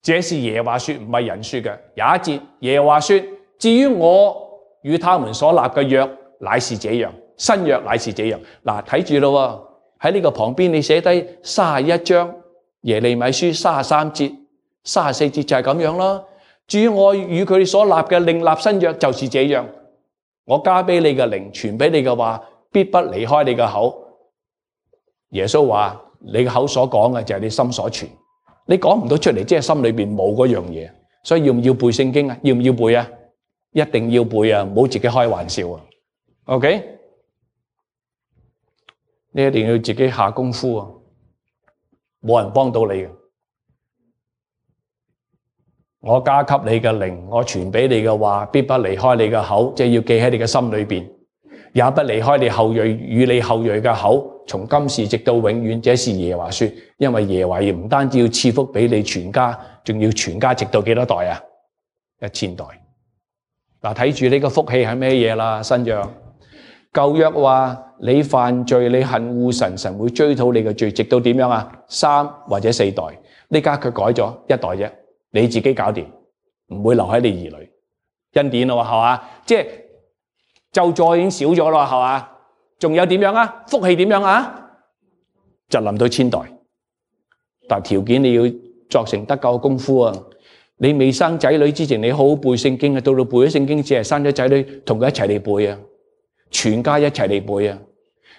這是耶和華說，唔係人說嘅。廿一節，耶和華說：至於我與他們所立嘅約，乃是這樣，新約乃是這樣。嗱，睇住咯，喺呢個旁邊你寫低31章耶利米書33節、34節就係咁樣啦。至於我與佢哋所立嘅另立新約，就是這樣。我加俾你嘅靈，傳俾你嘅話，必不離開你嘅口。耶穌話：你嘅口所講嘅就係你心所傳，你講唔到出嚟，即係心裏邊冇嗰樣嘢。所以要唔要背聖經啊？要唔要背啊？一定要背啊！唔好自己開玩笑啊。OK， 你一定要自己下功夫啊！冇人幫到你嘅。我加給你嘅靈，我傳俾你嘅話，必不離開你嘅口，即係要記喺你嘅心裏邊，也不離開你後裔與你後裔嘅口，從今時直到永遠。這是耶和華說，因為耶和華唔單止要賜福俾你全家，仲要全家直到幾多代啊？1,000代。嗱，睇住呢個福氣係咩嘢啦？新約舊約話你犯罪，你恨惡神，神會追討你嘅罪，直到點樣啊？3或者4代。呢家佢改咗1代啫。你自己搞掂，唔會留喺你兒女。恩典咯，係嘛？即係咒詛已經少咗咯，係嘛？仲有點樣啊？福氣點樣啊？就臨到1000代，但條件你要作成得救嘅功夫啊！你未生仔女之前，你好好背聖經啊！到背咗聖經，只係生咗仔女，同佢一齊嚟背啊！全家一齊嚟背啊！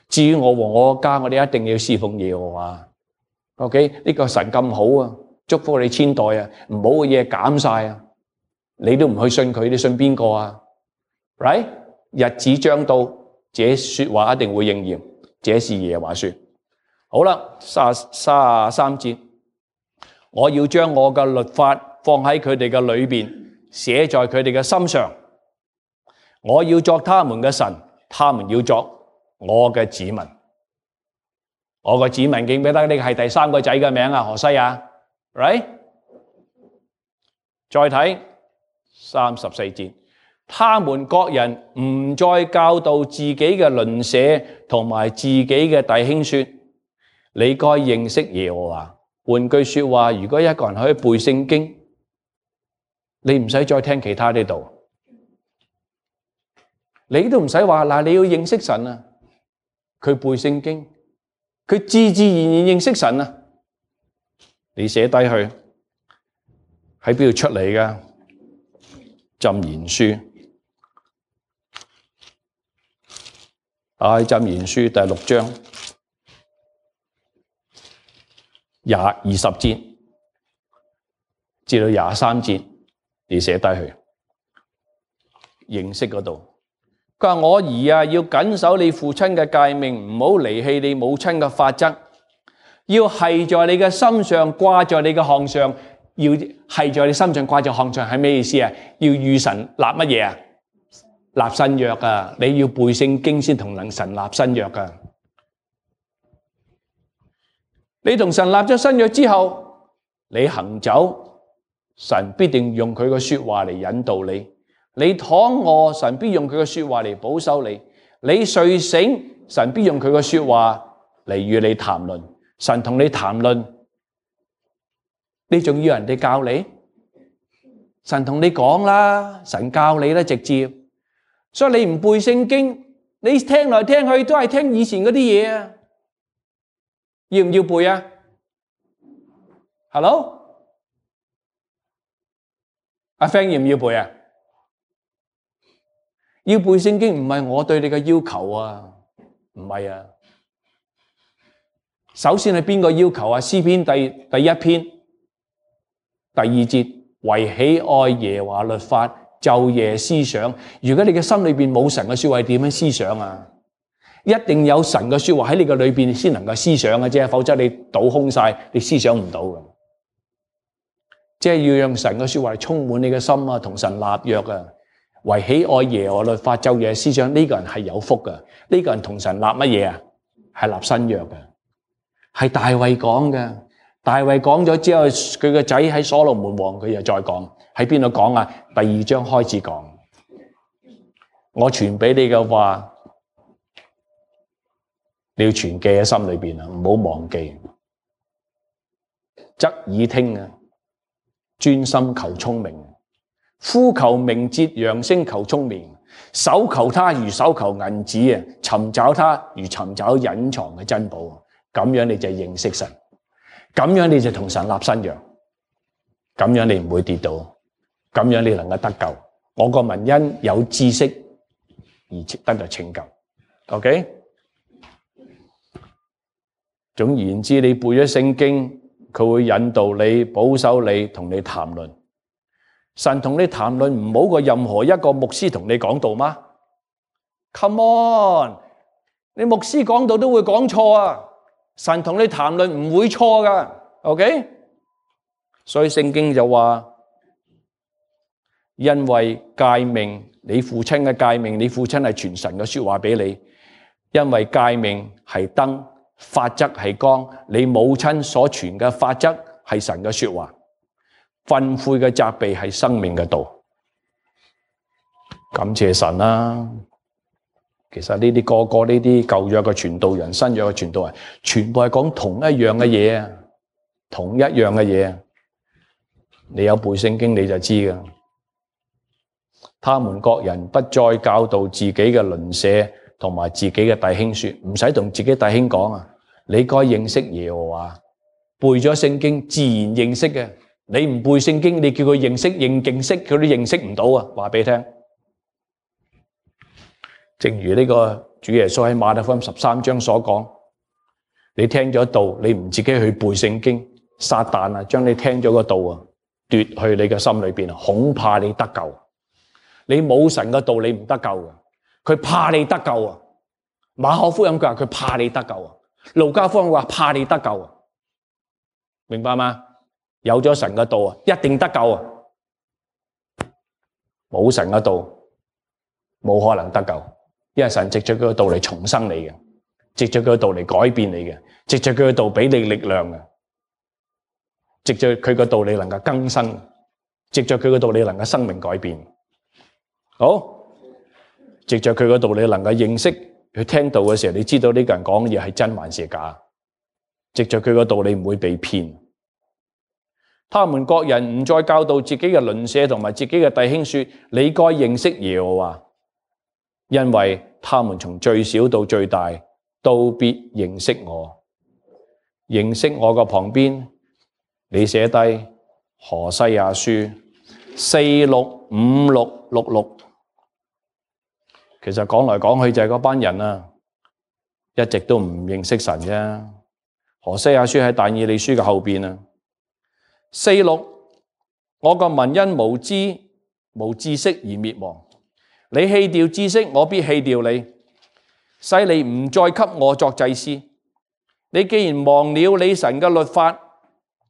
至於我和我家，我哋一定要侍奉耶和華。OK， 呢個神咁好啊！祝福你1000代啊！唔好嘅嘢減晒啊！你都唔去信佢，你信邊個啊 ？Right？ 日子將到，這說話一定會應驗。這是耶和華說。好啦，33節，我要將我嘅律法放喺佢哋嘅裏邊，寫在佢哋嘅心上。我要作他們嘅神，他們要作我嘅子民。我嘅子民記唔記得呢個係第3個仔嘅名啊？何西亞。Right？ 再睇34節，他們各人唔再教導自己嘅鄰舍同埋自己嘅弟兄說：你該認識耶和華，換句說話，如果一個人可以背聖經，你唔使再聽其他呢度，你都唔使話嗱，你要認識神啊，佢背聖經，佢自自然然認識神啊。你寫低去喺邊度出嚟㗎？箴言書，打開箴言書第6章20節至到23節，你寫低去認識嗰度。佢話我兒啊，要謹守你父親嘅誡命，唔好離棄你母親嘅法則，要繫在你嘅心上，掛在你嘅項上。要繫在你心上，掛在項上係咩意思啊？要與神立乜嘢啊？立新約啊！你要背聖經先同神立新約啊！你同神立咗新約之後，你行走，神必定用佢嘅說話嚟引導你。你躺臥，神必用佢嘅說話嚟保守你。你睡醒，神必用佢嘅說話嚟與你談論。神同你談論，你仲要人哋教你？神同你講啦，神教你啦，直接。所以你唔背聖經，你聽來聽去都係聽以前嗰啲嘢啊！要唔要背啊 ？Hello， 阿 Frank 要唔要背啊？要背聖經唔係我對你嘅要求啊，唔係啊。首先係邊個要求啊？詩篇第1篇第2節，惟喜愛耶和華律法，晝夜思想。如果你嘅心裏邊冇神嘅說話，點樣思想啊？一定有神嘅說話喺你嘅裏邊先能夠思想嘅啫，否則你倒空晒，你思想唔到嘅。即係要讓神嘅說話嚟充滿你嘅心啊，同神立約啊。惟喜愛耶和華律法，晝夜思想，呢個人係有福嘅。呢個人同神立乜嘢啊？係立新約嘅，係大衛講嘅。大衛講咗之後，佢個仔喺所羅門王，佢又再講，喺邊度講啊？第2章開始講。我傳俾你嘅話，你要存記喺心裏邊啊，唔好忘記。側耳聽啊，專心求聰明。呼求明哲，揚聲求聰明。搜求他如搜求銀子啊，尋找他如尋找隱藏嘅珍寶。咁樣你就認識神，咁樣你就同神立新約，咁樣你唔會跌倒，咁樣你能夠得救。我個民因有知識而得到拯救。OK， 總言之，你背咗聖經，佢會引導你、保守你、同你談論。神同你談論唔好過任何一個牧師同你講道嗎？ Come on， 你牧師講道都會講錯啊！神同你談論唔會錯噶 ，OK？ 所以聖經就話，因為誡命，你父親嘅誡命，你父親係傳神嘅說話俾你，因為誡命係燈，法則係光，你母親所傳嘅法則係神嘅說話。訓誨嘅責備係生命嘅道，感謝神啦！其實呢啲個個呢啲舊約嘅傳道人、新約嘅傳道人，全部係講同一樣嘅嘢啊，同一樣嘅嘢。你有背聖經你就知噶。他們各人不再教導自己嘅鄰舍同埋自己嘅弟兄說，唔使同自己弟兄講啊，你該認識耶和華，背咗聖經自然認識嘅。你唔背聖經，你叫佢認識認勁識，佢都認識唔到啊！話俾你聽，正如呢個主耶穌喺馬太福音13章所講，你聽咗道，你唔自己去背聖經，撒旦啊將你聽咗個道啊奪去你嘅心裏邊，恐怕你得救。你冇神嘅道，你唔得救嘅，佢怕你得救啊！馬可福音佢話佢怕你得救啊，路加福音話怕你得救啊，明白嗎？有咗神嘅道啊，一定得救啊！冇神嘅道，冇可能得救，因為神藉着佢嘅道嚟重生你嘅，藉着佢嘅道嚟改變你嘅，藉着佢嘅道俾你力量嘅，藉着佢嘅道你能夠更新，藉着佢嘅道你能夠生命改變。好，藉着佢嘅道你能夠認識，去聽道嘅時候，你知道呢個人講嘅嘢係真還是假。藉着佢嘅道你唔會被騙。他們各人唔再教導自己嘅鄰舍同埋自己嘅弟兄說：你該認識耶和華，因為他們從最小到最大都必認識我。認識我嘅旁邊，你寫低何西阿書465666。其實講來講去就係嗰班人啊，一直都唔認識神啫。何西阿書喺但以理書嘅後邊啊。46，我個民因無知無知識而滅亡。你棄掉知識，我必棄掉你，使你唔再給我作祭司。你既然忘了你神嘅律法，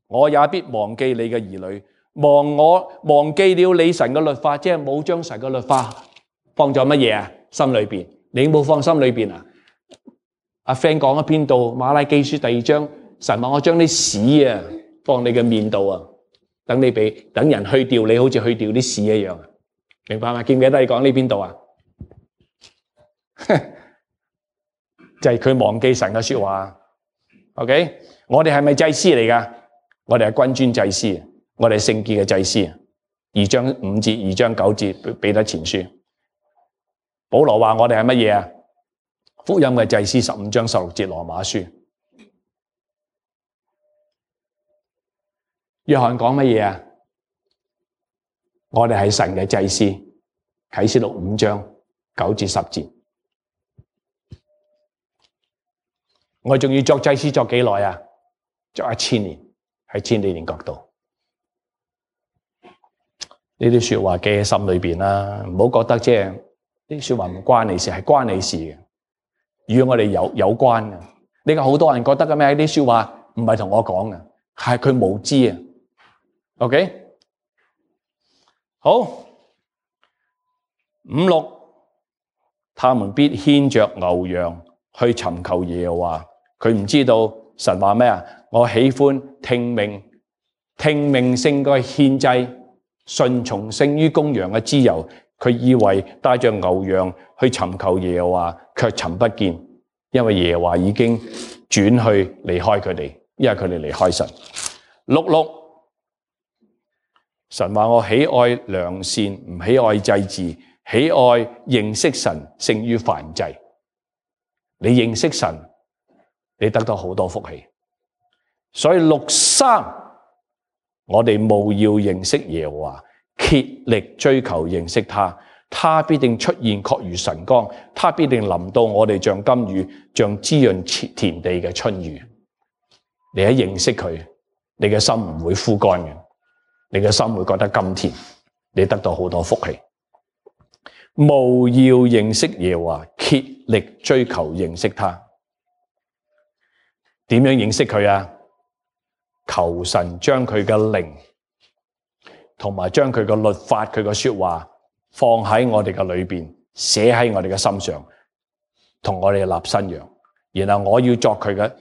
我也必忘記你嘅兒女。忘記了你神嘅律法，即係冇將神嘅律法放咗乜嘢啊？心裏邊，你冇放心裏邊啊？阿 friend 講喺邊度？馬拉基書第2章，神話我將啲屎啊放你嘅面度啊，等人去掉你，好似去掉啲屎一樣。明白嗎？記唔記得你講呢邊度啊？就係佢忘記神嘅說話。OK， 我哋係咪祭司嚟噶？我哋係君尊祭司，我哋係聖潔嘅祭司。2章5節、2章9節彼得前書，保羅話我哋係乜嘢啊？福音嘅祭司。15章16節羅馬書。約翰講乜嘢啊？我哋係神嘅祭司。啟示錄5章9至10節。我仲要作祭司作幾耐啊？作1000年，喺千禧年國度。呢啲說話記喺心裏邊啦，唔好覺得即係呢啲說話唔關你事，係關你事嘅，與我哋有關嘅。呢個好多人覺得嘅咩？呢啲說話唔係同我講嘅，係佢無知啊。OK， 好5、6，他們必牽着牛羊去尋求耶和華。佢唔知道神話咩啊？我喜歡聽命勝過獻祭，順從勝於公羊嘅脂油。佢以為帶着牛羊去尋求耶和華，卻尋不見，因為耶和華已經轉去離開佢哋，因為佢哋離開神。6，神話我喜愛良善，唔喜愛祭祀，喜愛認識神勝於燔祭。你認識神，你得到好多福氣。所以6、3，我哋務要認識耶和華，竭力追求認識他，他必定出現，確如晨光，他必定臨到我哋像甘雨，像滋潤田地嘅春雨。你一認識佢，你嘅心唔會枯乾嘅，你嘅心會覺得甘甜，你得到好多福氣。務要認識耶和華，竭力追求認識他。點樣認識佢啊？求神將佢嘅靈同埋將佢嘅律法、佢嘅說話放喺我哋嘅裏邊，寫喺我哋嘅心上，同我哋立新約。然後我要作佢嘅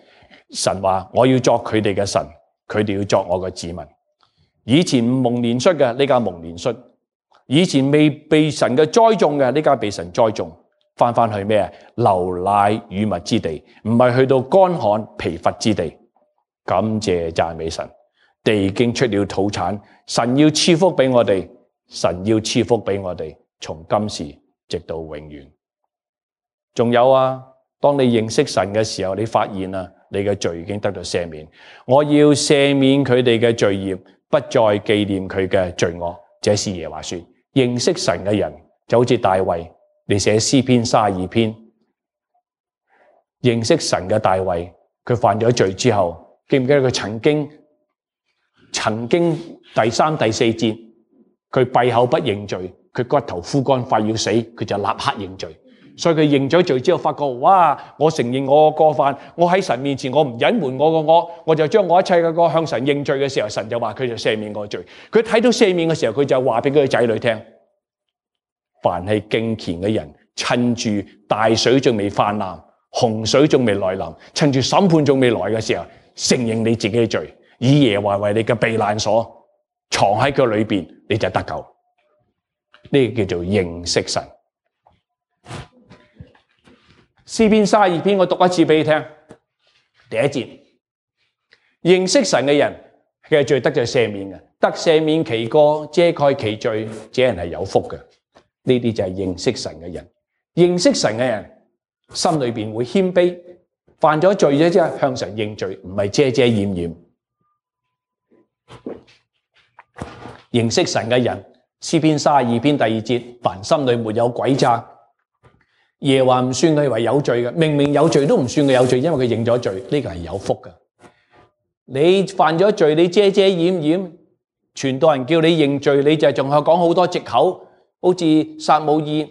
神話，我要作佢哋嘅神，佢哋要作我嘅子民。以前唔蒙憐恤嘅，呢家蒙憐恤；以前未被神嘅栽種嘅，呢家被神栽種。翻去咩啊？流奶與蜜之地，唔係去到乾旱疲乏之地。感謝讚美神，地經出了土產，神要賜福俾我哋，神要賜福俾我哋，從今時直到永遠。仲有啊，當你認識神嘅時候，你發現啊，你嘅罪已經得到赦免。我要赦免佢哋嘅罪孽，不再紀念佢嘅罪惡。這是耶和華說。認識神嘅人就好似大衛，你寫詩篇32篇，認識神嘅大衛，佢犯咗罪之後，記唔記得佢曾經第3、第4節，佢閉口不認罪，佢骨頭枯乾快要死，佢就立刻認罪。所以佢認咗罪之後，發覺哇！我承認我個過犯，我喺神面前我唔隱瞞我個惡，我就將我一切嘅過向神認罪嘅時候，神就話佢就赦免我罪。佢睇到赦免嘅時候，佢就話俾佢嘅仔女聽。凡係敬虔嘅人，趁住大水仲未泛濫，洪水仲未來臨，趁住審判仲未來嘅時候，承認你自己嘅罪，以耶和華為你嘅避難所，藏喺佢裏邊，你就得救。呢個叫做認識神。詩篇32篇，我讀一次俾你聽。第一節，認識神嘅人嘅罪得咗赦免嘅，得赦免其過，遮蓋其罪，這人係有福嘅。呢啲就係認識神嘅人。認識神嘅人心裏邊會謙卑，犯咗罪咗之後向神認罪，唔係遮遮掩掩。認識神嘅人，詩篇32篇第2節，凡心裏沒有詭詐，耶和華唔算佢為有罪嘅，明明有罪都唔算佢有罪，因為佢認咗罪，呢個係有福嘅。你犯咗罪，你遮遮掩掩，傳道人叫你認罪，你就仲係講好多藉口，好似撒母耳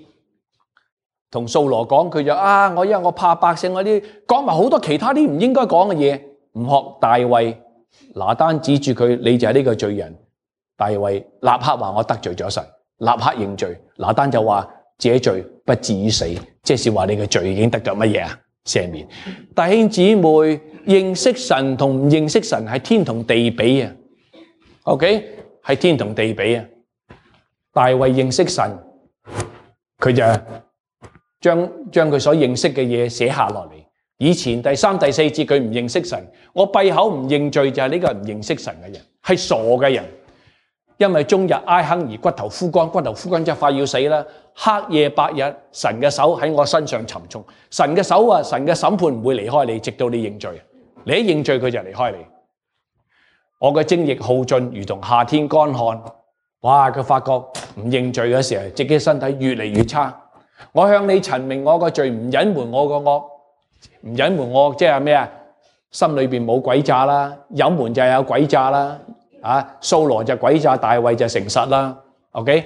同掃羅講，佢就我因為我怕百姓嗰啲，講埋好多其他啲唔應該講嘅嘢，唔學大衛，拿單指住佢，你就係呢個罪人。大衛立刻話我得罪咗神，立刻認罪。拿單就話這罪不至於死，即是話你嘅罪已經得咗乜嘢啊？赦免。弟兄姊妹，認識神同唔認識神係天同地比啊。OK， 係天同地比啊。大衛認識神，佢就將佢所認識嘅嘢寫下落嚟。以前第3、第4節佢唔認識神，我閉口唔認罪就係呢個唔認識神嘅人，係傻嘅人。因為終日挨坑而骨頭枯乾，骨頭枯乾就快要死啦。黑夜白日，神嘅手喺我身上沉重。神嘅手啊，神嘅審判唔會離開你，直到你認罪。你一認罪，佢就離開你。我嘅精液耗盡，如同夏天乾旱。哇！佢發覺唔認罪嘅時候，自己身體越嚟越差。我向你陳明我個罪，唔隱瞞我個惡，唔隱瞞我即係咩啊？心裏邊冇詭詐啦，隱瞞就係有詭詐啦。掃羅就詭詐，大衛就誠實啦。OK，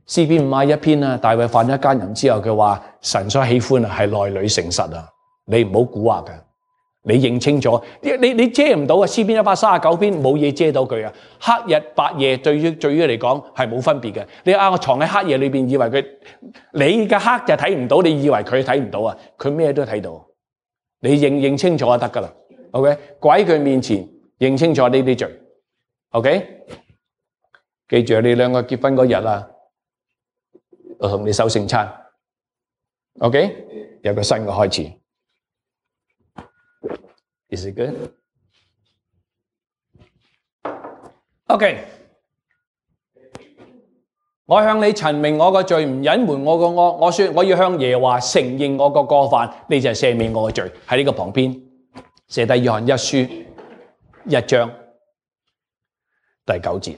詩篇51篇啊，大衛犯咗奸淫之後，佢話神所喜歡係內裏誠實啊，你唔好蠱惑嘅，你認清楚，你遮唔到啊。詩篇139篇冇嘢遮到佢啊，黑日白夜對於嚟講係冇分別嘅。你我藏喺黑夜裏邊，以為佢你嘅黑就睇唔到，你以為佢睇唔到啊？佢咩都睇到，你認清楚就得噶啦。OK， 跪喺佢面前認清楚呢啲罪。OK， 記住你兩個結婚嗰日啊，我同你守聖餐。OK， 有個新嘅開始。Is it good? OK， 我向你陳明我個罪，唔隱瞞我個惡。我說我要向耶和華承認我個過犯，你就係赦免我個罪。喺呢個旁邊寫低約翰一書1章。第9節，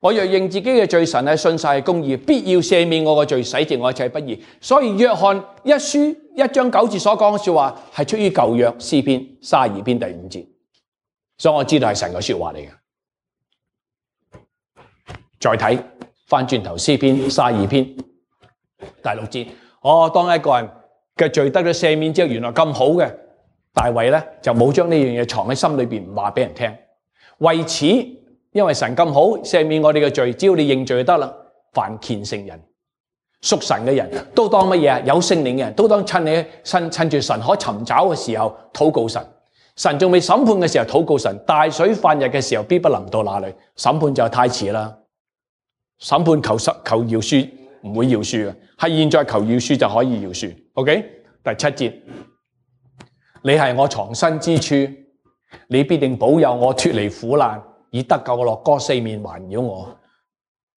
我若認自己嘅罪，神係信實係公義，必要赦免我嘅罪，洗淨我一切不義。所以約翰一書1章9節所講嘅說話係出於舊約詩篇32篇第5節，所以我知道係神嘅說話嚟嘅。再睇翻轉頭詩篇32篇第6節，當一個人嘅罪得咗赦免之後，原來咁好嘅，大衛咧就冇將呢樣嘢藏喺心裏邊，唔話俾人聽。為此，因為神咁好，赦免我哋嘅罪，只要你認罪就得啦。凡虔誠人、屬神嘅人都當乜嘢啊？有聖靈嘅人都當趁住神可尋找嘅時候禱告神。神仲未審判嘅時候禱告神。大水泛日嘅時候，必不臨到那裏。審判就太遲啦。審判求饒恕唔會饒恕嘅，係現在求饒恕就可以饒恕。OK， 第7節，你係我藏身之處。你必定保佑我脫離苦難，以得救嘅樂歌四面環繞我。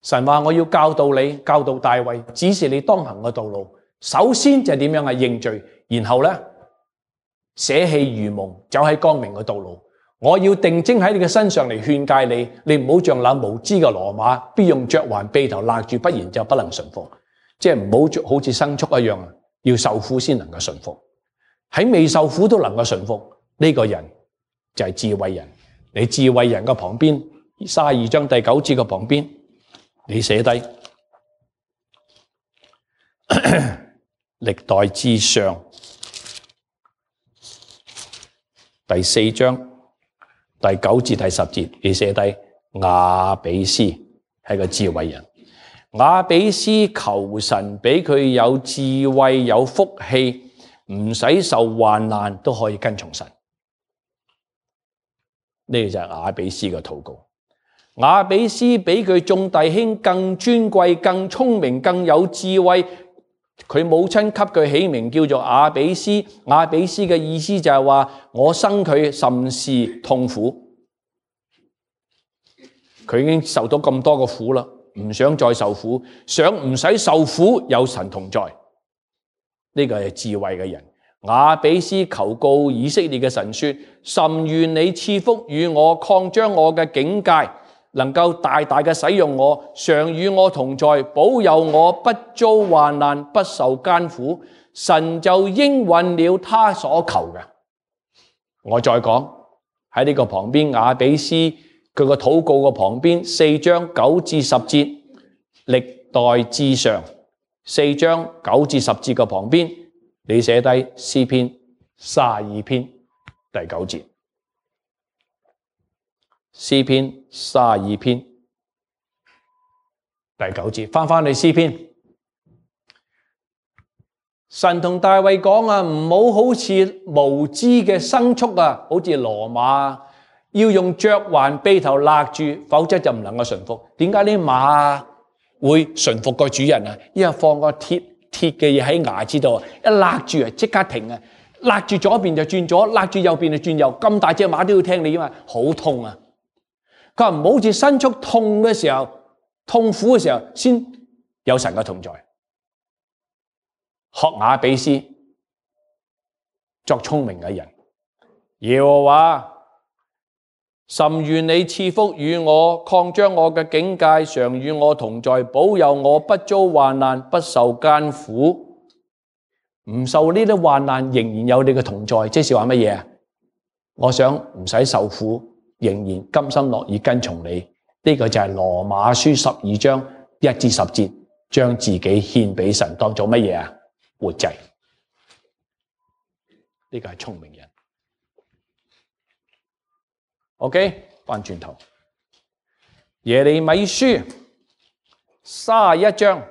神話我要教導你，教導大衛，指示你當行嘅道路。首先就係點樣係認罪，然後咧捨棄愚蒙，走喺光明嘅道路。我要定睛喺你嘅身上嚟勸誡你，你唔好像那無知嘅騾馬，必用嚼環轡頭勒住，不然就不能順服。即係唔好好似牲畜一樣，要受苦先能夠順服。喺未受苦都能夠順服，呢個人就係智慧人。你智慧人嘅旁邊32章第9節嘅旁邊，你寫低歷代志上第4章第9至第10節，你寫低雅比斯係個智慧人。雅比斯求神俾佢有智慧有福氣，唔使受患難都可以跟從神。呢個就係雅比斯嘅禱告。雅比斯比佢眾弟兄更尊貴、更聰明、更有智慧。佢母親給佢起名叫做雅比斯。雅比斯嘅意思就係話我生佢甚是痛苦。佢已經受到咁多個苦啦，唔想再受苦，想唔使受苦，有神同在。呢個係智慧嘅人。雅比斯求告以色列嘅神說：甚願你賜福與我，擴張我嘅境界，能夠大大嘅使用我，常與我同在，保佑我不遭患難，不受艱苦。神就應允了他所求嘅。我再講喺呢個旁邊，雅比斯佢個禱告嘅旁邊，4章9至10節，歷代志上4章9至10節嘅旁邊，你寫低詩篇32篇第9節，詩篇32篇第9節，翻去詩篇。神同大衛講啊，唔好好似無知嘅牲畜啊，好似騾馬，要用嚼環轡頭勒住，否則就唔能夠順服。點解啲馬會順服個主人啊？因為放個鐵嘅嘢喺牙齒度，一勒住啊，即刻停啊！勒住左邊就轉左，勒住右邊就轉右。咁大隻馬都要聽你啊嘛，好痛啊！佢話唔好好似牲畜痛嘅時候、痛苦嘅時候，先有神嘅同在。學雅比斯作聰明嘅人，耶和華甚願你賜福與我，擴張我嘅境界，常與我同在，保佑我不遭患難，不受艱苦。唔受呢啲患難，仍然有你嘅同在，即是話乜嘢啊？我想唔使受苦，仍然甘心樂意跟從你。呢個就係羅馬書12章1至10節，將自己獻俾神，當做乜嘢啊？活祭。呢個係聰明人。OK， 翻轉頭，耶利米書31章，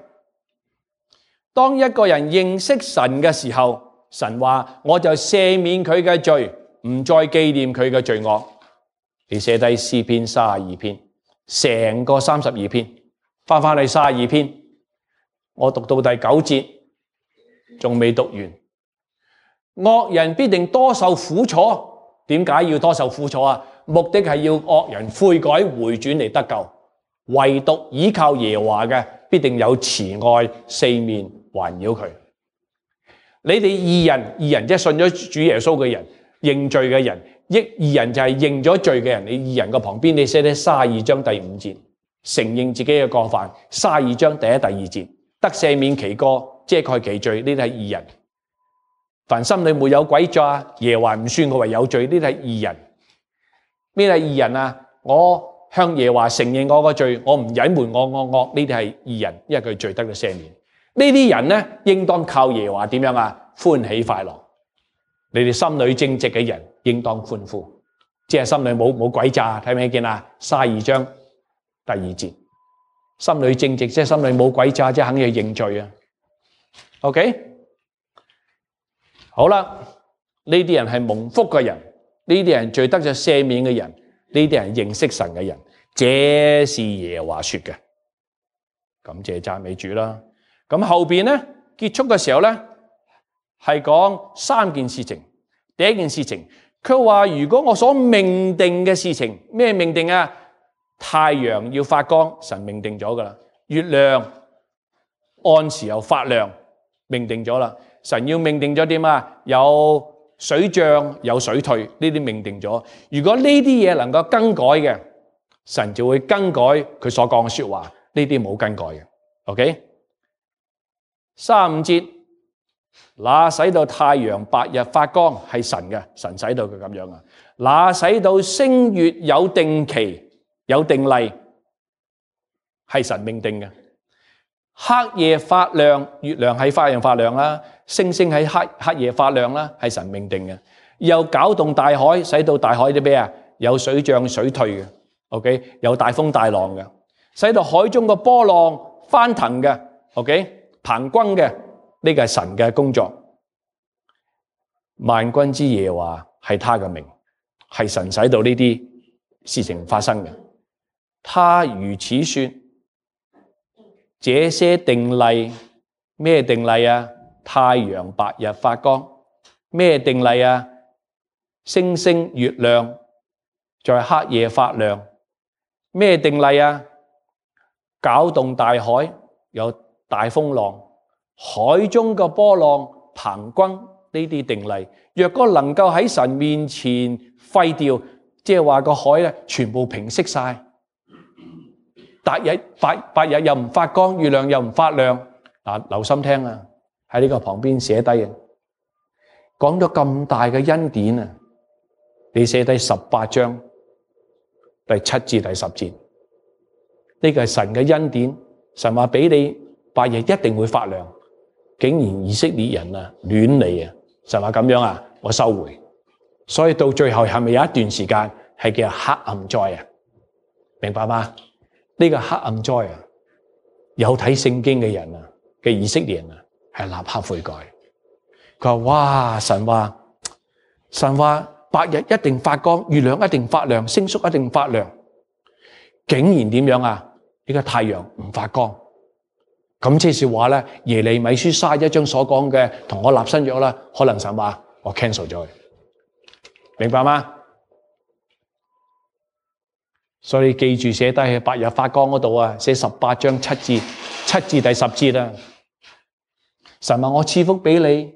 當一個人認識神嘅時候，神話我就赦免佢嘅罪，唔再紀念佢嘅罪惡。你寫低詩篇32篇，成個32篇，翻去32篇，我讀到第9節，仲未讀完。惡人必定多受苦楚，點解要多受苦楚啊？目的係要惡人悔改回轉嚟得救，唯獨倚靠耶和華嘅必定有慈愛四面環繞佢。你哋義人即係信咗主耶穌嘅人，認罪嘅人，義人就係認咗罪嘅人。你義人嘅旁邊你寫低32章第5節，承認自己嘅過犯。32章第1、第2節，得赦免其過，遮蓋其罪，呢啲係義人。凡心裏沒有詭詐，耶和華唔算佢為有罪，呢啲係義人。咩係義人啊？我向耶和華承認我個罪，我唔隱瞞我惡，呢啲係義人，因為佢罪得到赦免。呢啲人呢，應當靠耶和華點樣啊？歡喜快樂。你哋心裏正直嘅人，應當歡呼，即係心裏冇詭詐，睇唔睇見啊？32章第2節，心裏正直，即係心裏冇詭詐，即係肯去認罪啊。OK， 好啦，呢啲人係蒙福嘅人。呢啲人罪得咗赦免嘅人，呢啲人認識神嘅人，這是耶和華說嘅。感謝讚美主啦。咁後邊咧結束嘅時候咧，係講3件事情。第一件事情，佢話如果我所命定嘅事情，咩命定啊？太陽要發光，神命定咗噶啦。月亮按時又發亮，命定咗啦。神要命定咗點啊？有水漲有水退，呢啲命定咗。如果呢啲嘢能夠更改嘅，神就會更改佢所講嘅說話。呢啲冇更改嘅。OK， 35節，那使到太陽白日發光係神嘅，神使到佢咁樣啊。那使到星月有定期有定例係神命定嘅。黑夜發亮，月亮喺發亮啦，星星喺黑夜發亮啦，係神命定嘅。又攪動大海，使到大海啲咩啊？有水漲水退嘅。OK， 有大風大浪嘅，使到海中嘅波浪翻騰嘅。OK， 澎轟嘅，呢個係神嘅工作。萬軍之耶和華係他嘅名，係神使到呢啲事情發生嘅。他如此說。這些定例，咩定例啊？太陽白日發光，咩定例啊？星星月亮在黑夜發亮，咩定例啊？攪動大海，有大風浪，海中嘅波浪匉訇，呢啲定例。若果能夠喺神面前廢掉，即係話個海咧全部平息晒，白日又唔發光，月亮又唔發亮。嗱，留心聽啊，喺呢個旁邊寫低啊，講咗咁大嘅恩典啊，你寫低18章第7至第10節，呢個係神嘅恩典，神話俾你白日一定會發亮，竟然以色列人啊亂嚟啊，神話咁樣啊，我收回。所以到最後係咪有一段時間係叫黑暗災啊？明白嗎？呢個黑暗災啊，有睇聖經嘅人啊嘅以色列人啊係立刻悔改。佢話哇，神話白日一定發光，月亮一定發亮，星宿一定發亮，竟然點樣啊？呢個太陽唔發光。咁即是話咧，耶利米書31章所講嘅同我立新約啦，可能神話我 cancel 咗佢，明白嗎？所以記住寫低喺白日發光嗰度啊，寫18章7至第10節啊。神話我賜福俾你，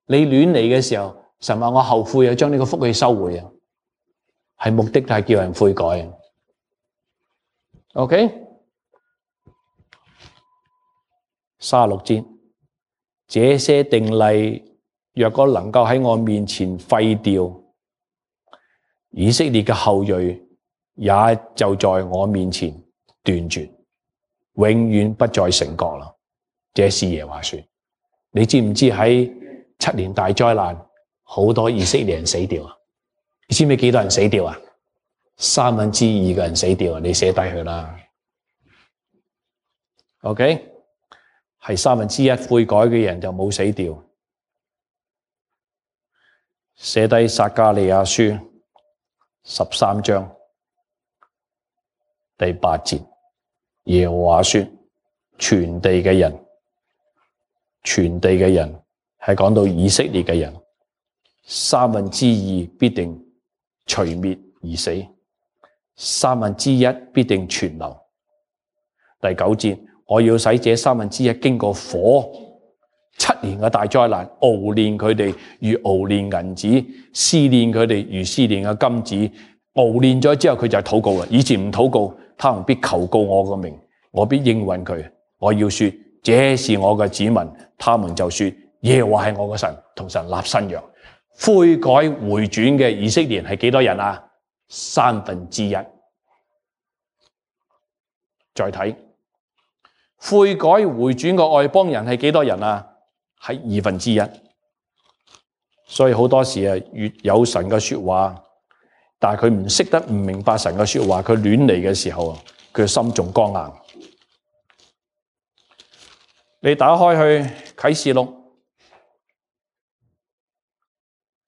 你亂嚟嘅時候，神話我後悔啊，將呢個福氣收回啊，係目的係叫人悔改啊。OK， 36節，這些定例若果能夠喺我面前廢掉，以色列嘅後裔也就在我面前斷絕，永遠不再成國啦。這是耶和華說。你知唔知喺7年大災難，好多以色列人死掉啊？你知唔知幾多人死掉啊？2/3嘅人死掉啊！你寫低佢啦。OK， 係1/3悔改嘅人就冇死掉。寫低撒迦利亞書13章第8節，耶和華說：全地嘅人係講到以色列嘅人，2/3必定除滅而死，1/3必定存留。第9節，我要使這1/3經過火7年嘅大災難，熬煉佢哋如熬煉銀子，試煉佢哋如試煉嘅金子。熬煉咗之後，佢就禱告啦。以前唔禱告，他們必求告我個名，我必應允佢。我要說，這是我嘅子民，他們就說耶和華係我嘅神，同神立新約。悔改回轉嘅以色列人係幾多人啊？1/3。再睇悔改回轉嘅外邦人係幾多人啊？係1/2。所以好多時啊，越有神嘅說話，但係佢唔識得唔明白神嘅說話，佢亂嚟嘅時候啊，佢心仲剛硬。你打開去啟示錄，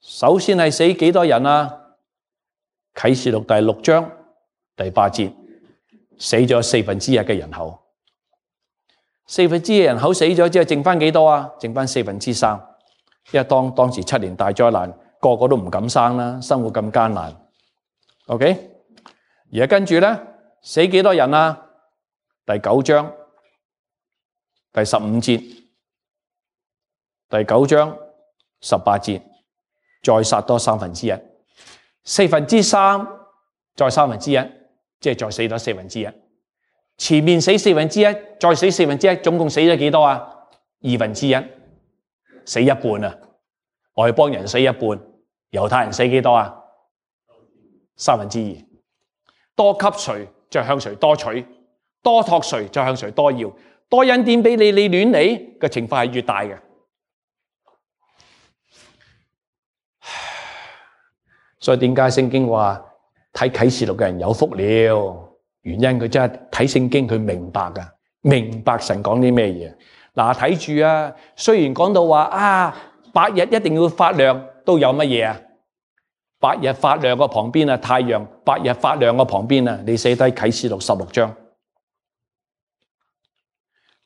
首先係死幾多人啊？啟示錄第6章第8節，死咗1/4嘅人口。1/4嘅人口死咗之後，剩翻幾多啊？剩翻3/4。因為當時7年大災難，個個都唔敢生啦，生活咁艱難。OK， 而家跟住咧，死幾多人啊？第9章第15節，第9章18節，再殺多1/3，4/3再1/3，即係再死多1/4。前面死1/4，再死1/4，總共死咗幾多啊？1/2，死一半啊！外邦人死一半，猶太人死幾多啊？2/3。多給誰，就向誰多取；多託誰，就向誰多要。多恩典俾你，你亂嚟嘅情況係越大嘅。所以點解聖經話睇啟示錄嘅人有福了？原因佢真係睇聖經，佢明白㗎，明白神講啲咩嘢。嗱，睇住啊！雖然講到話啊，白日一定要發亮，都有乜嘢啊？白日發亮個旁邊啊，太陽白日發亮個旁邊啊，你寫低啟示錄16章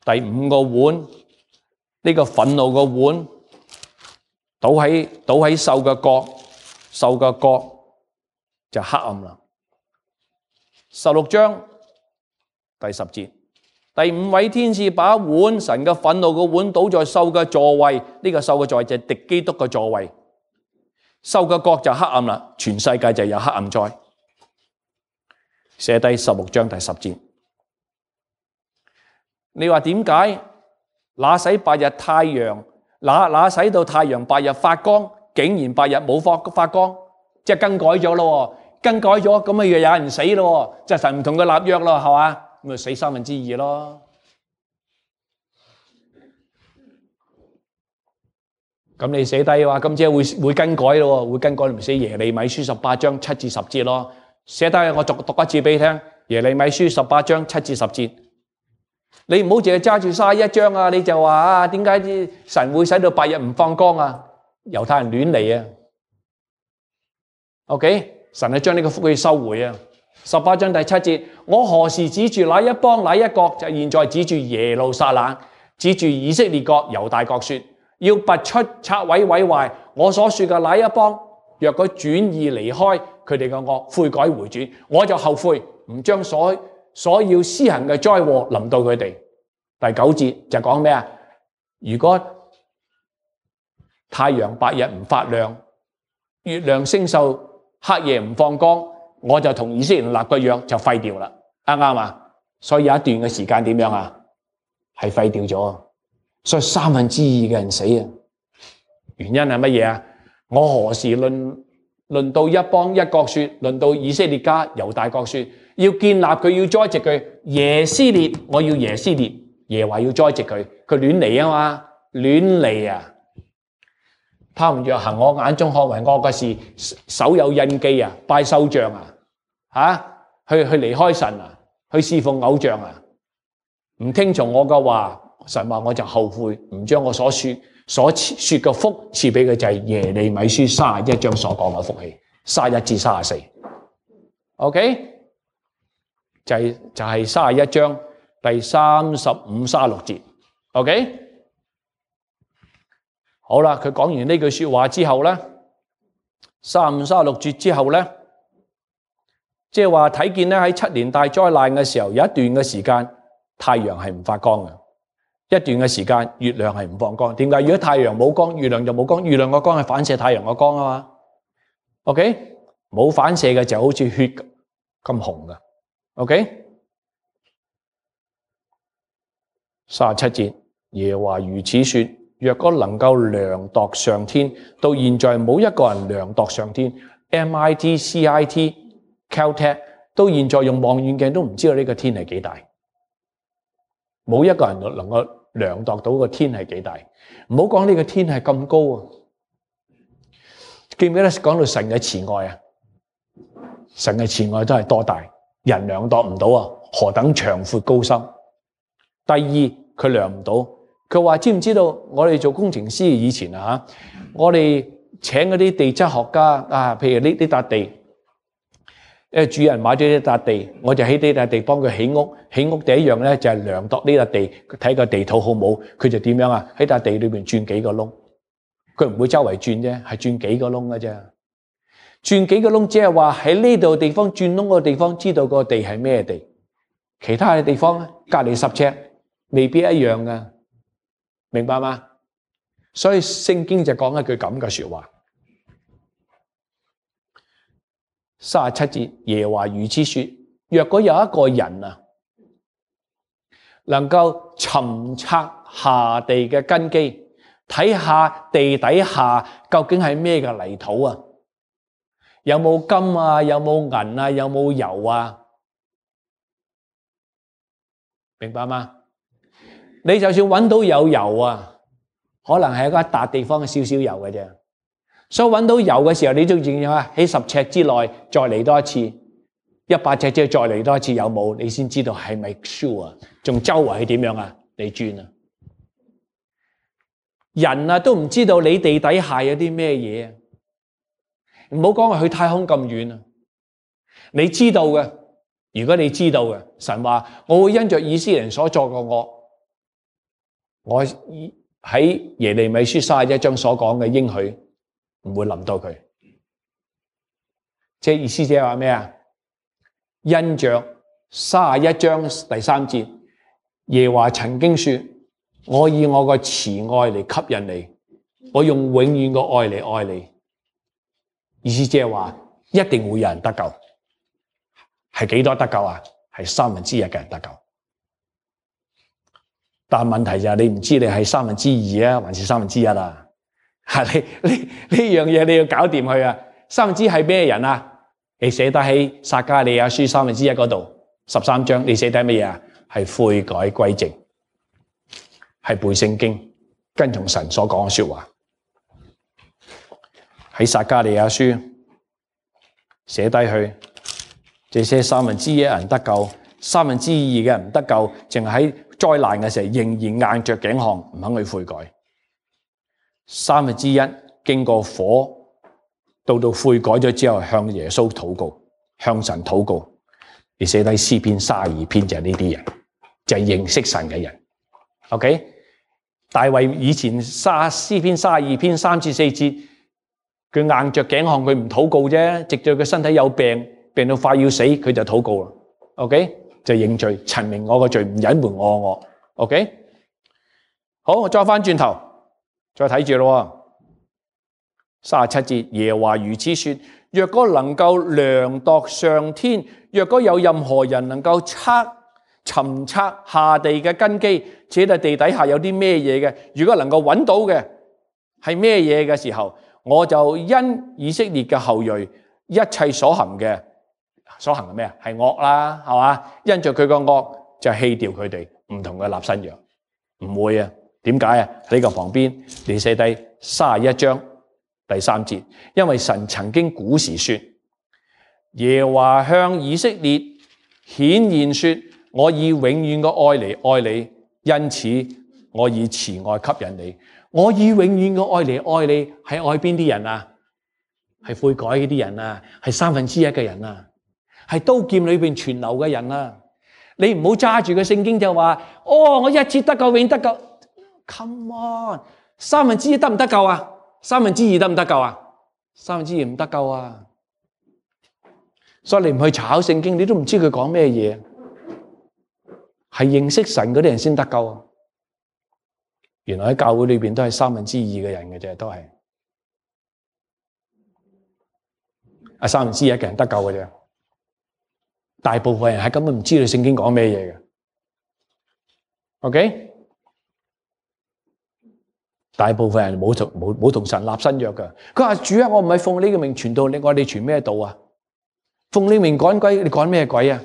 第5個碗，呢個憤怒個碗倒喺獸嘅角，獸嘅角就黑暗啦。16章第10節，第5位天使把碗，神嘅憤怒嘅碗倒在獸嘅座位，呢個獸嘅座位就係敵基督嘅座位，獸嘅國就黑暗啦，全世界就有黑暗災。寫低16章第10節。你話點解？那使白日太陽，那使到太陽白日發光，竟然白日冇發光，即係更改咗咯，更改咗咁咪又有人死咯，即係神唔同佢立約咯，係嘛？咁咪死2/3咯。咁你寫低話，咁即係會更改咯，會更改咪寫耶利米書18章7至10節咯。寫低我讀一次俾你聽，耶利米書18章7至10節。你唔好淨係揸住31章啊！你就話啊，點解神會使到白日唔放光啊？猶太人亂嚟啊 ！OK， 神係將呢個福氣收回啊！18章第7節，我何時指住哪一邦哪一國，就現在指住耶路撒冷，指住以色列國猶大國說，要拔出拆毀毀壞我所說嘅哪一邦，若佢轉意離開佢哋嘅惡，悔改回轉，我就後悔，唔將所要施行嘅災禍臨到佢哋。第9節就講咩啊？如果太陽白日唔發亮，月亮星宿黑夜唔放光，我就同以色列人立個約就廢掉啦。啱唔啱啊？所以有一段嘅時間點樣啊？係廢掉咗，所以2/3嘅人死啊！原因係乜嘢啊？我何時論到一邦一國說，論到以色列家猶大國說，要建立佢，要栽植佢，耶斯列，我要耶斯列，耶和華要栽植佢，佢亂嚟啊嘛，亂嚟啊！他們若行我眼中看為惡嘅事，手有印記啊，拜獸像啊，去離開神啊，去侍奉偶像啊，唔聽從我嘅話，神話我就後悔，唔將我所說嘅福賜俾佢，就係耶利米書31章所講嘅福氣，31至34。OK， 就係31章第35、36節。OK， 好啦，佢講完呢句說話之後咧，35、36節之後咧，即係話睇見咧喺7年大災難嘅時候，有一段嘅時間太陽係唔發光嘅。一段嘅時間，月亮係唔放光。點解？如果太陽冇光，月亮就冇光。月亮個光係反射太陽個光啊嘛。OK， 冇反射嘅就好似血咁紅噶。OK， 37節，耶和華如此說：若果能夠量度上天，到現在冇一個人量度上天。MIT、CIT、Caltech 到現在用望遠鏡都唔知道呢個天係幾大，冇一個人能夠量度到個天係幾大，唔好講呢個天係咁高啊！記唔記得講到神嘅慈愛啊？神嘅慈愛都係多大，人量度唔到啊！何等長闊高深。第二，佢量唔到，佢話知唔知道？我哋做工程師以前啊，我哋請嗰啲地質學家啊，譬如呢笪地。主人買咗呢笪地，我就喺呢笪地幫佢起屋。起屋第一樣咧就係量度呢笪地，睇個地土好冇。佢就點樣啊？喺笪地裏邊鑽幾個窿，佢唔會周圍鑽啫，係鑽幾個窿嘅啫。鑽幾個窿，即係話喺呢度地方鑽窿個地方，知道個地係咩地。其他嘅地方咧，隔離10尺，未必一樣噶，明白嗎？所以聖經就講一句咁嘅說話。37節，耶和華如此說：若果有一個人啊，能夠尋測下地嘅根基，睇下地底下究竟係咩嘅泥土啊，有冇金啊，有冇銀啊，有冇油啊，明白嗎？你就算揾到有油啊，可能係一笪地方嘅少少油嘅啫。所以揾到油嘅時候，你都要喺10尺之內再嚟多一次，100尺之後再嚟多一次，有冇？你先知道係咪 sure 啊？仲周圍係點樣啊？你轉啊！人啊都唔知道你地底下有啲咩嘢啊！唔好講話去太空咁遠啊！你知道嘅，如果你知道嘅，神話我會因着以色列人所作嘅惡，我喺耶利米書31章所講嘅應許。唔會臨到佢，即係意思即係話咩啊？因着31章第3節，耶和華曾經說：我以我個慈愛嚟吸引你，我用永遠個愛嚟愛你。意思即係話，一定會有人得救。係幾多得救啊？係1/3嘅人得救。但問題就係你唔知你係2/3啊，還是1/3啊？呢樣嘢你要搞掂佢啊！1/3係咩人啊？你寫得喺撒迦利亞書1/3嗰度13章，你寫得乜嘢啊？係悔改歸正，係背聖經，跟從神所講嘅說話。喺撒迦利亞書寫低去，這些1/3人得救，2/3嘅人唔得救，淨係喺災難嘅時候仍然硬着頸項，唔肯去悔改。1/3經過火，到悔改咗之後，向耶穌禱告，向神禱告。你寫低詩篇32篇就係呢啲人，就係認識神嘅人。OK， 大衛以前詩篇32篇3至4節，佢硬着頸項，佢唔禱告啫，直到佢身體有病，病到快要死，佢就禱告啦。OK， 就認罪，陳明我個罪，唔隱瞞我。OK， 好，我再翻轉頭，再睇住咯。37節，耶和華如此說：若果能夠量度上天，若果有任何人能夠尋測下地嘅根基，這個地底下有啲咩嘢嘅，如果能夠揾到嘅係咩嘢嘅時候，我就因以色列嘅後裔一切所行嘅咩啊？係惡啦，係嘛？因着佢個惡就棄掉佢哋，唔同佢立新約，唔會啊？點解啊？喺呢個旁邊你寫低31章第3節，因為神曾經古時說，耶和華向以色列顯現說，我以永遠嘅愛嚟愛你，因此我以慈愛吸引你。我以永遠嘅愛嚟愛你，係愛邊啲人啊？係悔改嗰啲人啊，係1/3嘅人啊，係刀劍裏邊存留嘅人啊。你唔好揸住個聖經就話，我一次得救永得救。Come on， 1/3得唔得救啊？2/3得唔得救啊？2/3唔得救啊！所以你唔去查考聖經，你都唔知佢講咩嘢。係認識神嗰啲人先得救啊！原來喺教會裏邊都係2/3嘅人嘅啫，都係1/3嘅人得救嘅啫。大部分人係根本唔知道聖經講咩嘢嘅。OK， 大部分人冇同神立新約嘅。佢話主啊，我唔係奉呢個名傳道，你話你傳咩道啊？奉呢個名趕鬼，你趕咩鬼啊？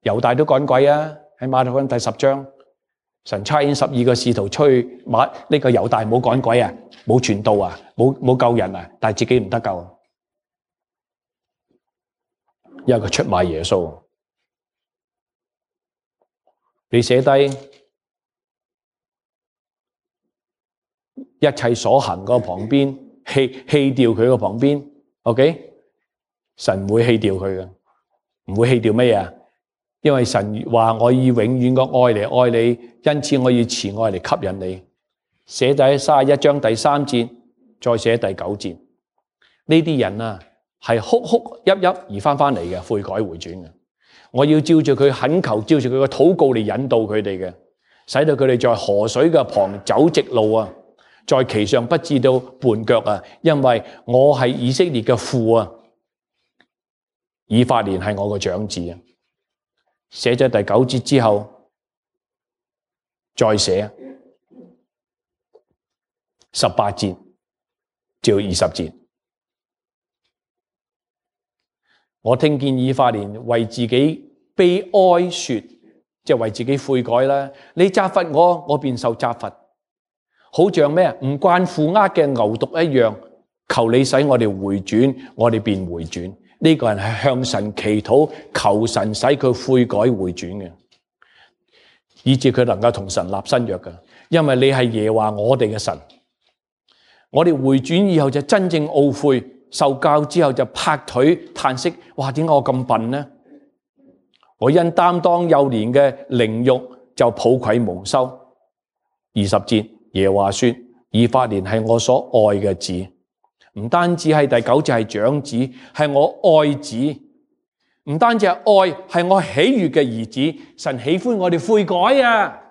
猶大都趕鬼啊！喺馬太福音第10章，神差遣12個使徒出去，呢個猶大冇趕鬼啊，冇傳道啊，冇救人啊，但係自己唔得救，因為佢出賣耶穌。你寫低一切所行嗰個旁邊，棄掉佢個旁邊 ，OK？ 神唔會棄掉佢嘅，唔會棄掉乜嘢啊？因為神話我以永遠嘅愛嚟愛你，因此我以慈愛嚟吸引你。寫第31章第3節，再寫第9節。呢啲人啊，係哭哭泣泣而翻嚟嘅，悔改回轉嘅。我要照住佢懇求，照住佢嘅禱告嚟引導佢哋嘅，使到佢哋在河水嘅旁走直路啊，在其上不至到絆腳啊。因為我係以色列嘅父啊，以法蓮係我嘅長子啊。寫咗第9節之後，再寫18節至20節。我聽見以法蓮為自己悲哀說，即係為自己悔改啦。你責罰我，我便受責罰，好像咩啊？唔慣負軛嘅牛犢一樣。求你使我哋回轉，我哋便回轉。呢個人係向神祈禱，求神使佢悔改回轉嘅，以致佢能夠同神立新約嘅。因為你係耶和華我哋嘅神，我哋回轉以後就真正懊悔，受教之後就拍腿嘆息，哇！點解我咁笨呢？我因擔當幼年嘅凌辱就抱愧蒙羞。20節，耶和華說：以法蓮係我所愛嘅子。唔單止係第9節係長子，係我愛子。唔單止係愛，係我喜悅嘅兒子。神喜歡我哋悔改啊！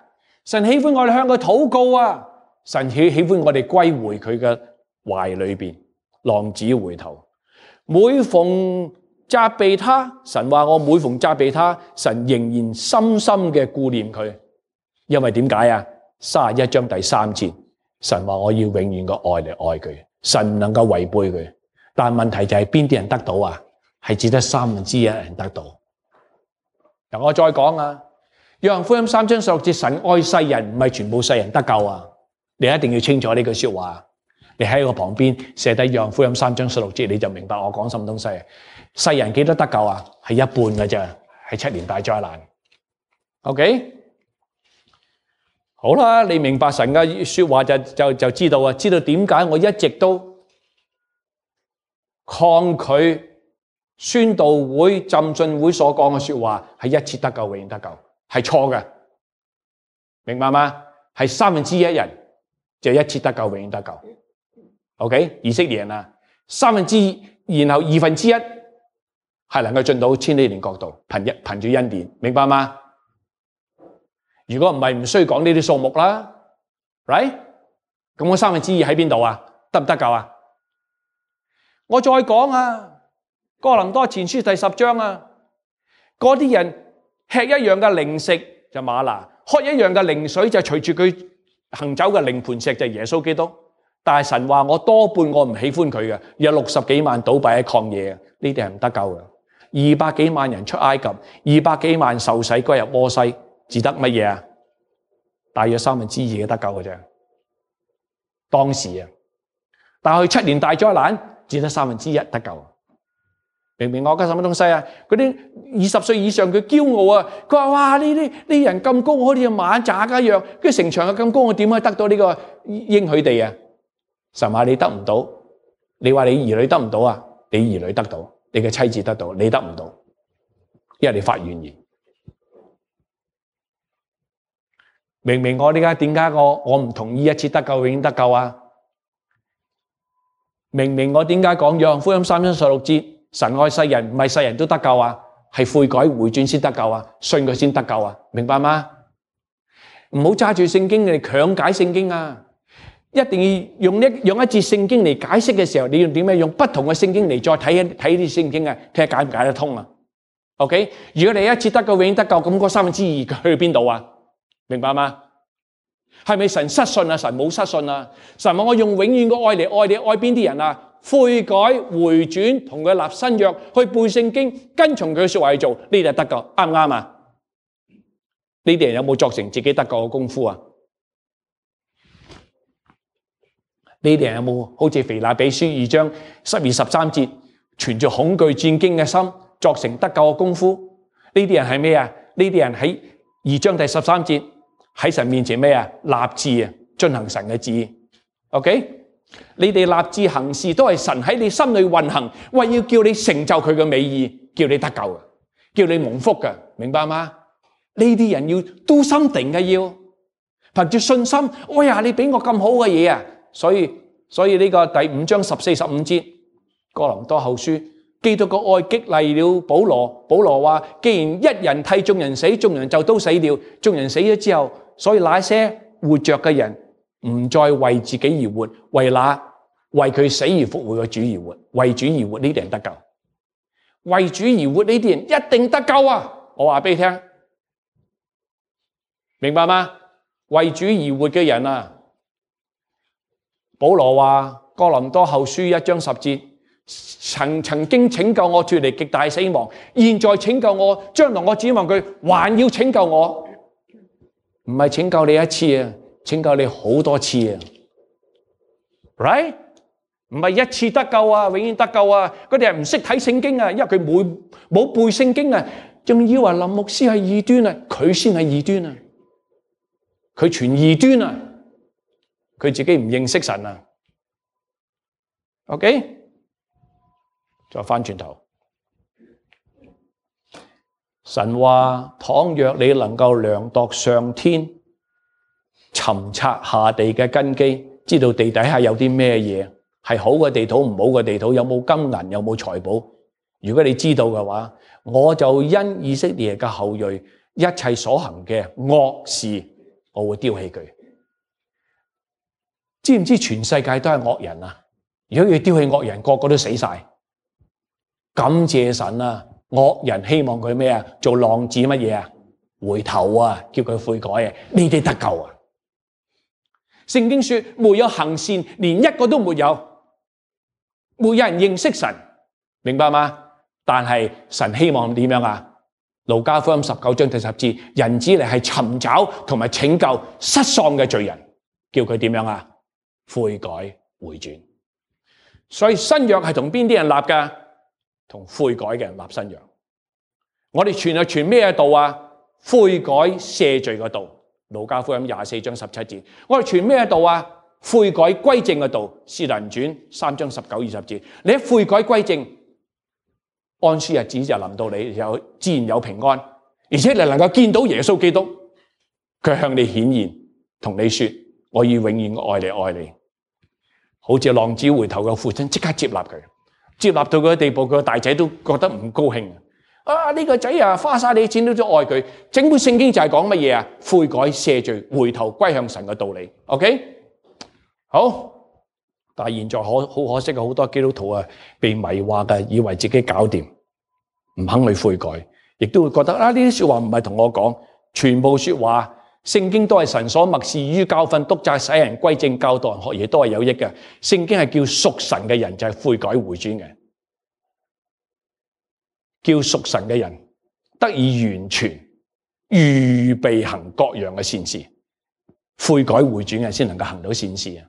神喜歡我哋向佢禱告啊！神喜歡我哋歸回佢嘅懷裏邊，浪子回頭。每逢責備他，神話我每逢責備他，神仍然深深嘅顧念佢。因為點解啊？31章第3節，神話我要永遠嘅愛嚟愛佢，神唔能夠違背佢。但問題就係邊啲人得到啊？係只得1/3人得到。嗱，我再講啊，約翰福音3章16節，神愛世人，唔係全部世人得救啊！你一定要清楚呢句說話。你喺我旁邊寫低約翰福音3章16節，你就明白我講什麼東西。世人幾多得救啊？係一半嘅啫，係7年大災難。OK， 好啦，你明白神嘅說話就知道啊，知道點解我一直都抗拒宣道會、浸信會所講嘅說話係一次得救永遠得救，係錯嘅，明白嗎？係1/3人就一次得救永遠得救。OK， 以色列人啊，2/3，然後1/2係能夠進到千禧年國度，憑住恩典，明白嗎？如果唔係，唔需要講呢啲數目啦 ，right？ 咁我2/3喺邊度啊？得唔得救啊？我再講啊，哥林多前書第10章啊，嗰啲人吃一樣嘅靈食就嗎哪，喝一樣嘅靈水就隨住佢行走嘅靈磐石就耶穌基督。但係神話我多半我唔喜歡佢嘅，有60幾萬倒閉喺曠野，呢啲係唔得救嘅。200幾萬人出埃及，200幾萬受洗歸入摩西，只得乜嘢啊？大約2/3嘅得救嘅啫。當時啊，但係7年大災難，只得1/3得救。明唔明我講什麼東西啊？嗰啲20歲以上佢驕傲啊，佢話哇呢啲人咁高，好似馬扎一樣，跟住城牆又咁高，我點可以得到呢個應許地啊？神話你得唔到，你話你兒女得唔到啊？你兒女得到，你嘅妻子得到，你得唔到，因為你發怨言。明明我點解我唔同意一次得救永遠得救啊？明明我點解講約翰福音3章16節，神愛世人，唔係世人都得救啊，係悔改回轉先得救啊，信佢先得救啊，明白嗎？唔好揸住聖經嚟強解聖經啊！一定要用一節聖經嚟解釋嘅時候，你要點樣用不同嘅聖經嚟再睇啲聖經啊？睇下解唔解得通啊 ？OK， 如果你一次得救永遠得救，咁嗰2/3去邊度啊？明白嗎？係咪神失信啊？神冇失信啊！神話我用永遠嘅愛嚟愛你，愛邊啲人啊？悔改回轉，同佢立新約，去背聖經，跟從佢嘅說話去做，呢啲就得救，啱唔啱啊？呢啲人有冇作成自己得救嘅功夫啊？呢啲人有冇好似腓立比書2章12、13節，存住恐懼戰驚嘅心，作成得救嘅功夫？呢啲人係咩啊？呢啲人喺2章第13節喺神面前咩啊？立志啊，遵行神嘅旨意。OK， 你哋立志行事都係神喺你心裏運行，為要叫你成就佢嘅美意，叫你得救嘅，叫你蒙福嘅，明白嗎？呢啲人要do something嘅，要憑住信心。哎呀，你俾我咁好嘅嘢啊！所以呢個第5章14、15節，哥林多後書，基督嘅愛激勵了保羅。保羅話：既然一人替眾人死，眾人就都死了。眾人死咗之後，所以那些活着嘅人唔再為自己而活，為佢死而復活嘅主而活，為主而活，呢啲人得救。為主而活呢啲人一定得救啊！我話俾你聽，明白嗎？為主而活嘅人啊！保羅話哥林多後書1章10節，曾經拯救我脫離極大死亡，現在拯救我，將來我指望佢還要拯救我，唔係拯救你一次啊，拯救你好多次啊 ，right？ 唔係一次得救啊，永遠得救啊！嗰啲人唔識睇聖經啊，因為佢冇背聖經啊，仲以為林牧師係異端啊，佢先係異端啊，佢傳異端啊！佢自己唔認識神啊 ，OK， 再翻轉頭，神話倘若你能夠量度上天，尋察下地嘅根基，知道地底下有啲咩嘢係好嘅地土，唔好嘅地土，有冇金銀，有冇財寶。如果你知道嘅話，我就因以色列嘅後裔一切所行嘅惡事，我會丟棄佢。知唔知全世界都係惡人啊？如果要丟棄惡人，個個都死晒。感謝神啊！惡人希望佢咩啊？做浪子乜嘢啊？回頭啊，叫佢悔改啊！你哋得救啊！聖經說沒有行善，連一個都沒有，沒有人認識神，明白嗎？但係神希望點樣啊？路加福音19章第10節，人子嚟係尋找同埋拯救失喪嘅罪人，叫佢點樣啊？悔改回轉。所以新約係同邊啲人立㗎？同悔改嘅人立新約。我哋傳係傳咩道啊？悔改赦罪嘅道。路加福音24章17節。我哋傳咩道啊？悔改歸正嘅道。使徒行傳3章19、20節。你一悔改歸正，安舒日子就臨到你，有自然有平安，而且你能夠見到耶穌基督，佢向你顯現，同你說：我要永遠愛你，愛你。好似浪子回頭嘅父親，即刻接納佢，接納到佢嘅地步，佢個大仔都覺得唔高興啊！呢個仔啊，花晒你錢都愛佢。整本聖經就係講乜嘢啊？悔改赦罪，回頭歸向神嘅道理。OK， 好。但係現在好可惜，好多基督徒啊，被迷惑嘅，以為自己搞掂，唔肯去悔改，亦都會覺得啊，呢啲說話唔係同我講，全部說話聖經都係神所默示於教訓、督責、使人歸正、教導人學嘢，都係有益嘅。聖經係叫屬神嘅人就係悔改回轉嘅，叫屬神嘅人得以完全預備行各樣嘅善事，悔改回轉嘅先能夠行到善事啊！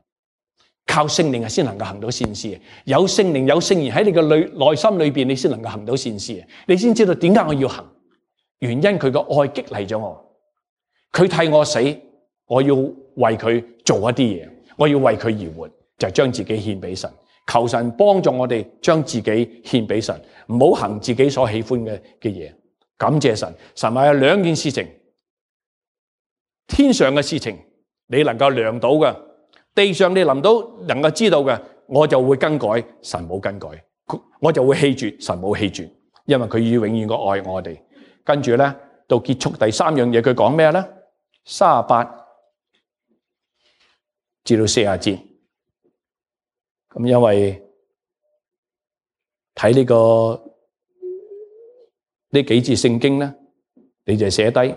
靠聖靈先能夠行到善事，有聖靈有聖言喺你嘅內心裏邊，你先能夠行到善事，你先知道點解我要行，原因佢個愛激勵咗我，佢替我死，我要為佢做一啲嘢，我要為佢而活，就將自己獻俾神，求神幫助我哋將自己獻俾神，唔好行自己所喜歡嘅嘢。感謝神，神話有兩件事情，天上嘅事情你能夠量到嘅，地上你能夠知道嘅，我就會更改，神冇更改，我就會棄絕，神冇棄絕，因為佢要永遠嘅愛我哋。跟住咧，到結束第三樣嘢，佢講咩咧？38至到40節。咁因為睇呢幾節聖經咧，你就寫低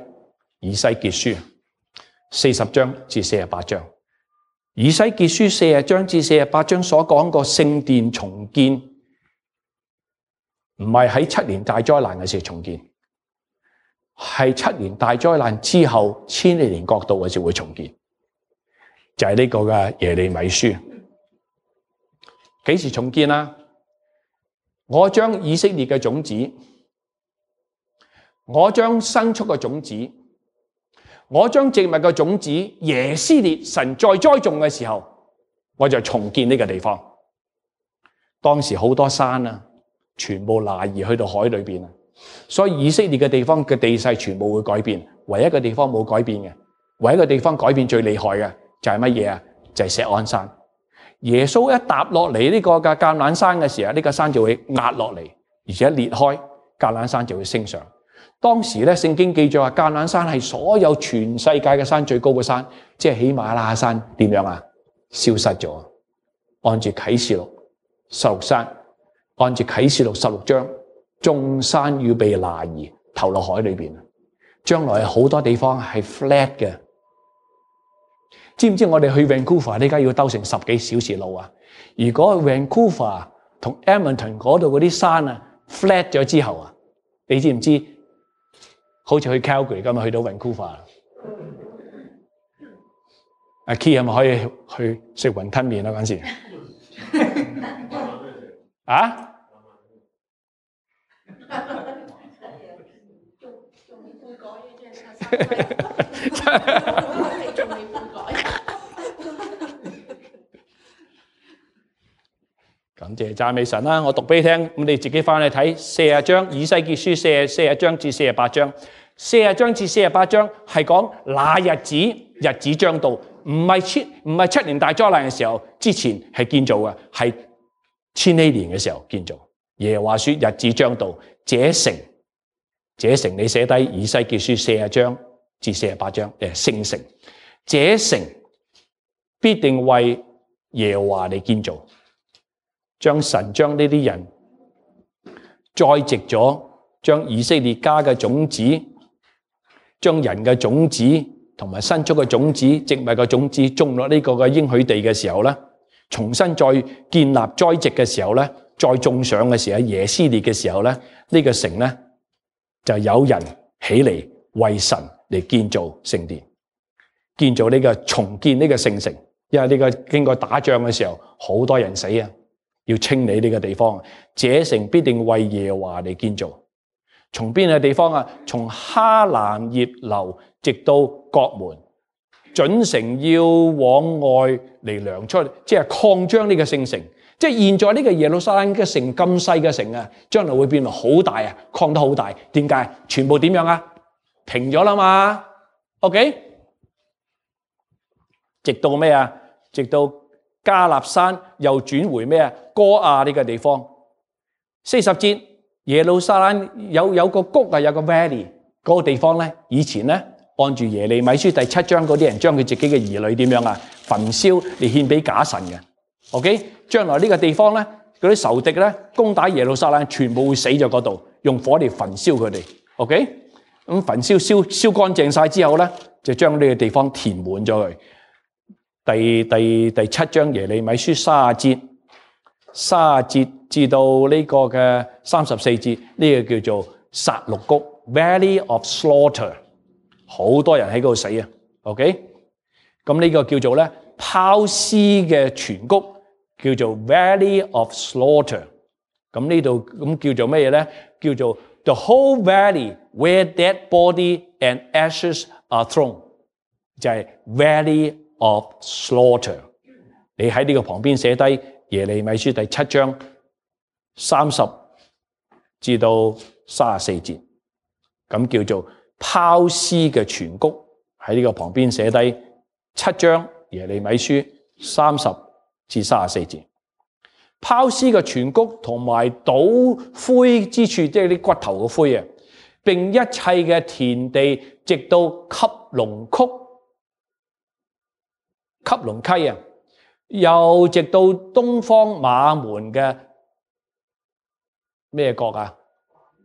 以西結書40章至48章。以西結書40章至48章所講個聖殿重建，唔係喺7年大災難嘅時候重建，係7年大災難之後千禧年國度嘅時候會重建，就係呢個嘅耶利米書。幾時重建啊？我將以色列嘅種子，我將牲畜嘅種子，我將植物嘅種子，耶斯列神在栽種嘅時候，我就重建呢個地方。當時好多山啊，全部挪移去到海裏邊啊，所以以色列嘅地方嘅地勢全部會改變。唯一嘅地方冇改變嘅，唯一嘅地方改變最厲害嘅就係乜嘢啊？就係錫安山。耶穌一踏落嚟呢個嘅橄欖山嘅時候，呢個山就會壓落嚟，而且裂開，橄欖山就會升上。當時咧，聖經記載話橄欖山係所有全世界嘅山最高嘅山，即係喜馬拉雅山點樣啊？消失咗。按住啟示錄16山，按住啟示錄16章，眾山要被挪移投落海裏邊。將來好多地方係 flat 嘅。知唔知我哋去 Vancouver 呢家要兜成10幾小時路啊？如果 Vancouver 同 Edmonton 嗰度嗰啲山啊 flat 咗之後啊，你知唔知？好似去 Calgary 咁去到 Vancouver， 阿 Key 係咪可以去食雲吞麵啊？嗰陣時啊？感謝讚美神啦！我讀俾你聽，咁你自己翻去睇40章，以西結書40章至48章，40章至48章係講那日子將到，唔係7年大災難嘅時候之前係建造嘅，係千禧年嘅時候建造。耶和華說日子將到，這城你寫低以西結書40章至48章，聖城，這城必定為耶和華嚟建造，神將呢啲人栽植咗，將以色列家嘅種子，將人嘅種子同埋牲畜嘅種子、植物嘅種子種落呢個嘅應許地嘅時候咧，重新再建立栽植嘅時候咧，再種上嘅時候，耶斯列嘅時候咧，呢個城咧就有人起嚟為神嚟建造聖殿，建造呢個重建呢個聖城，因為呢個經過打仗嘅時候，好多人死啊，要清理呢個地方，這城必定為耶和華嚟建造。從邊個地方啊？從哈蘭葉流直到國門，準城要往外嚟量出，即係擴張呢個聖城。即係現在呢個耶路撒冷嘅城咁細嘅城啊，將來會變到好大啊，擴得好大。點解？全部點樣啊？平咗啦嘛。OK， 直到咩啊？直到加納山又轉回咩啊？哥亞呢個地方。40節。耶路撒冷有個谷啊，有個 valley 嗰個地方咧，以前咧按住耶利米書第7章嗰啲人將佢自己嘅兒女點樣啊？焚燒嚟獻俾假神嘅。OK， 將來呢個地方咧，嗰啲仇敵咧攻打耶路撒冷，全部會死咗嗰度，用火嚟焚燒佢哋。OK， 咁焚燒乾淨晒之後咧，就將呢個地方填滿咗佢。第7章耶利米書30節至到呢個嘅34節，呢個叫做殺戮谷 Valley of Slaughter， 好多人喺嗰度死啊。OK， 咁呢個叫做咧拋屍嘅泉谷，叫做 Valley of Slaughter。咁呢度咁叫做咩嘢咧？叫做 The whole valley where dead body and ashes are thrown， 就係 Valley of Slaughter。你喺呢個旁邊寫低耶利米書第7章30至到34節，咁叫做拋屍嘅泉谷。喺呢個旁邊寫低7章耶利米書30至34節。拋屍嘅泉谷同埋倒灰之處，即係啲骨頭嘅灰啊，並一切嘅田地，直到汲龍溪啊，又直到東方馬門嘅咩國啊？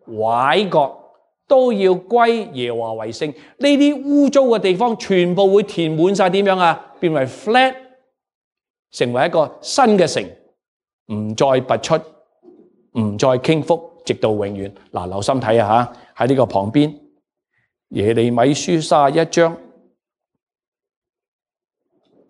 拐角都要歸耶和華為聖。呢啲污糟嘅地方全部會填滿晒，點樣啊？變為 flat， 成為一個新嘅城，唔再拔出，唔再傾覆，直到永遠。嗱，留心睇下喺呢個旁邊耶利米書31章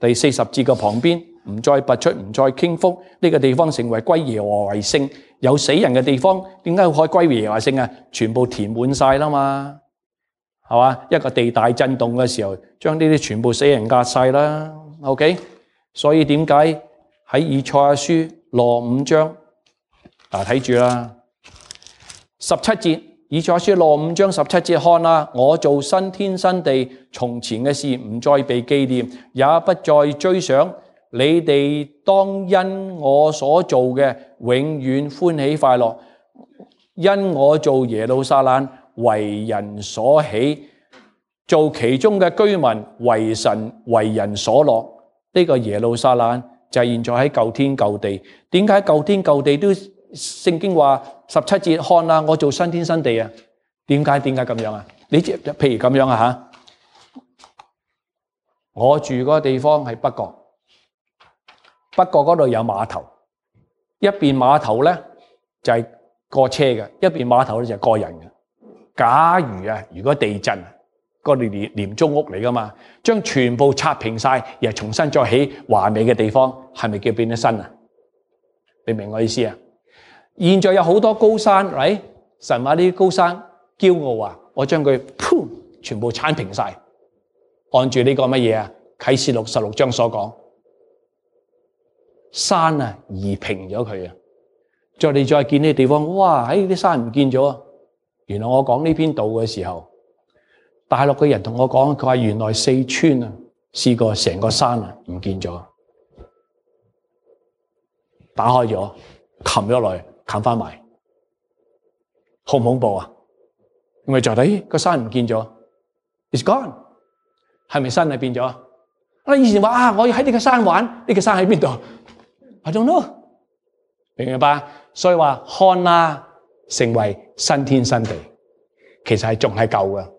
第40節嘅旁邊，唔再拔出，唔再傾覆，呢個地方成為歸耶和華為聖。有死人嘅地方，點解可以歸耶和華為聖啊？全部填滿晒啦嘛，係嘛？一個地大震動嘅時候，將呢啲全部死人壓晒啦。OK， 所以點解喺以賽亞書65章睇住啦，17節，以賽亞書65章17節，看啦，我做新天新地，從前嘅事唔再被紀念，也不再追想。你哋當因我所做嘅永遠歡喜快樂，因我做耶路撒冷為人所喜，做其中嘅居民為人所樂。呢個耶路撒冷就係現在喺舊天舊地。點解舊天舊地都聖經話17節，看啦，我做新天新地啊？點解咁樣啊？你譬如咁樣啊吓，我住嗰個地方係北角。北角嗰度有碼頭，一邊碼頭咧就係過車嘅，一邊碼頭咧就係過人嘅。假如果地震，嗰啲廉租屋嚟噶嘛，將全部拆平晒，又重新再起華美嘅地方，係咪叫變咗新啊？你明我意思啊？現在有好多高山，right？神話呢啲高山驕傲啊，我將佢全部鏟平晒，按住呢個乜嘢啊？啟示錄16章所講。山啊，移平咗佢啊！你再見呢啲地方，哇！啲山唔見咗啊！原來我講呢篇道嘅時候，大陸嘅人同我講，佢話原來四川啊，試過成個山啊唔見咗，打開咗，冚咗落去，冚翻埋，好唔恐怖啊？咁咪就睇個山唔見咗 ，it's gone， 係咪山係變咗？啊，以前話啊，我要喺呢個山玩，呢個山喺邊度 ？I don't know， 明唔明白？所以話看哪，成為新天新地，其實係仲係舊嘅。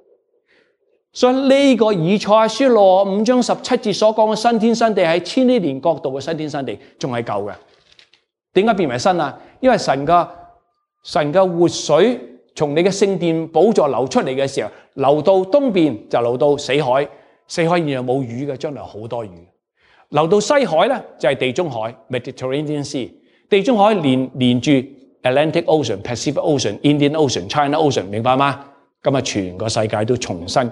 所以呢個以賽亞書65章17節所講嘅新天新地係千禧年國度嘅新天新地，仲係舊嘅。點解變為新啊？因為神嘅活水從你嘅聖殿寶座流出嚟嘅時候，流到東邊就流到死海，死海現在冇魚嘅，將來好多魚。流到西海咧就係地中海 Mediterranean Sea， 地中海連住 Atlantic Ocean、Pacific Ocean、Indian Ocean、China Ocean， 明白嗎？咁啊，全個世界都重新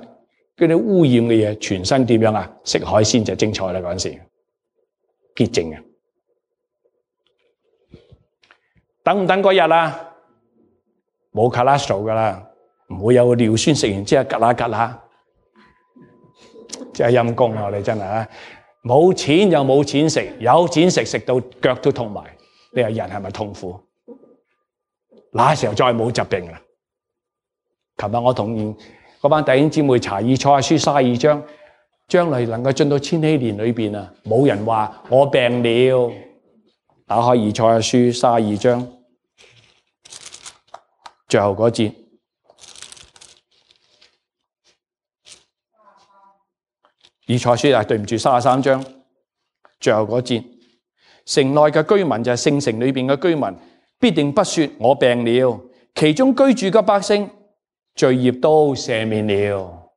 嗰啲污染嘅嘢，全身點樣啊？食海鮮就精彩啦！嗰陣時潔淨嘅，等唔等嗰日啊？冇 cholesterol 噶啦，唔會有個尿酸食完之後吉啦吉啦，真係陰公啊！我哋真係啊，冇錢又冇錢食，有錢食到腳都痛埋，你話人係咪痛苦？那時候再冇疾病啦。琴日我同嗰班弟兄姊妹查以賽亞書32章，將來能夠進到千禧年裏邊啊，冇人話我病了。打開以賽亞書32章最後嗰節，以賽亞書對唔住33章最後嗰節，城內嘅居民就係聖城裏邊嘅居民，必定不說我病了，其中居住嘅百姓罪孽都赦免了，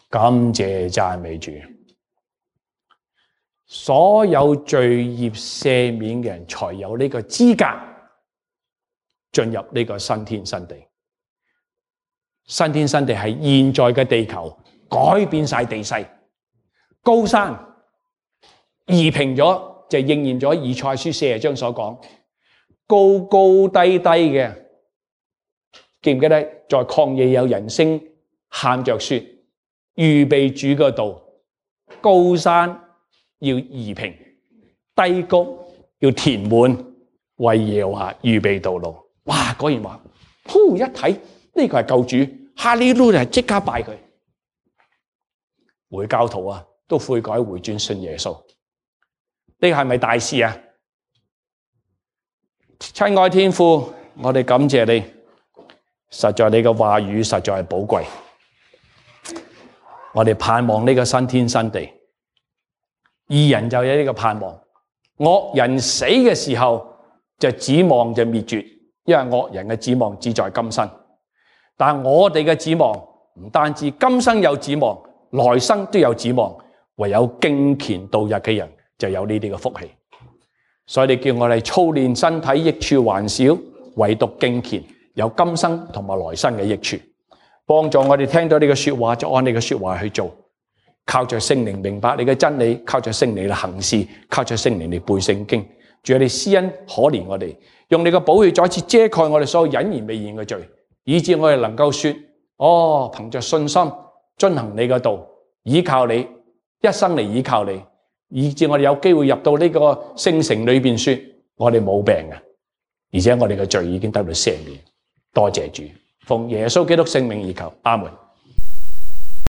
感謝讚美主。所有罪孽赦免嘅人，才有呢個資格進入呢個新天新地。新天新地係現在嘅地球改變晒地勢，高山移平咗，就應驗咗以賽亞書40章所講，高高低低嘅。記唔記得在曠野有人聲喊着說，預備主嘅道，高山要移平，低谷要填滿，為耶和華預備道路。哇！果然話，一睇呢個係救主，哈利路亞即刻拜佢。回教徒啊，都悔改回轉信耶穌，呢個係咪大事啊？親愛天父，我哋感謝你。實在你嘅話語實在係寶貴，我哋盼望呢個新天新地，義人就有呢個盼望，惡人死嘅時候就指望就滅絕，因為惡人嘅指望只在今生，但我哋嘅指望唔單止今生有指望，來生都有指望，唯有敬虔度日嘅人就有呢啲嘅福氣，所以你叫我哋操練身體益處還少，唯獨敬虔有今生同埋來生嘅益處，幫助我哋聽到你嘅說話就按你嘅說話去做，靠着聖靈明白你嘅真理，靠着聖靈嚟行事，靠着聖靈嚟背聖經。主啊，你施恩可憐我哋，用你嘅寶血再次遮蓋我哋所有隱然未現嘅罪，以致我哋能夠說：哦，憑着信心遵行你嘅道，依靠你，一生嚟依靠你，以致我哋有機會入到呢個聖城裏邊說：我哋冇病嘅，而且我哋嘅罪已經得到赦免。多謝主，奉耶穌基督聖名而求，阿門。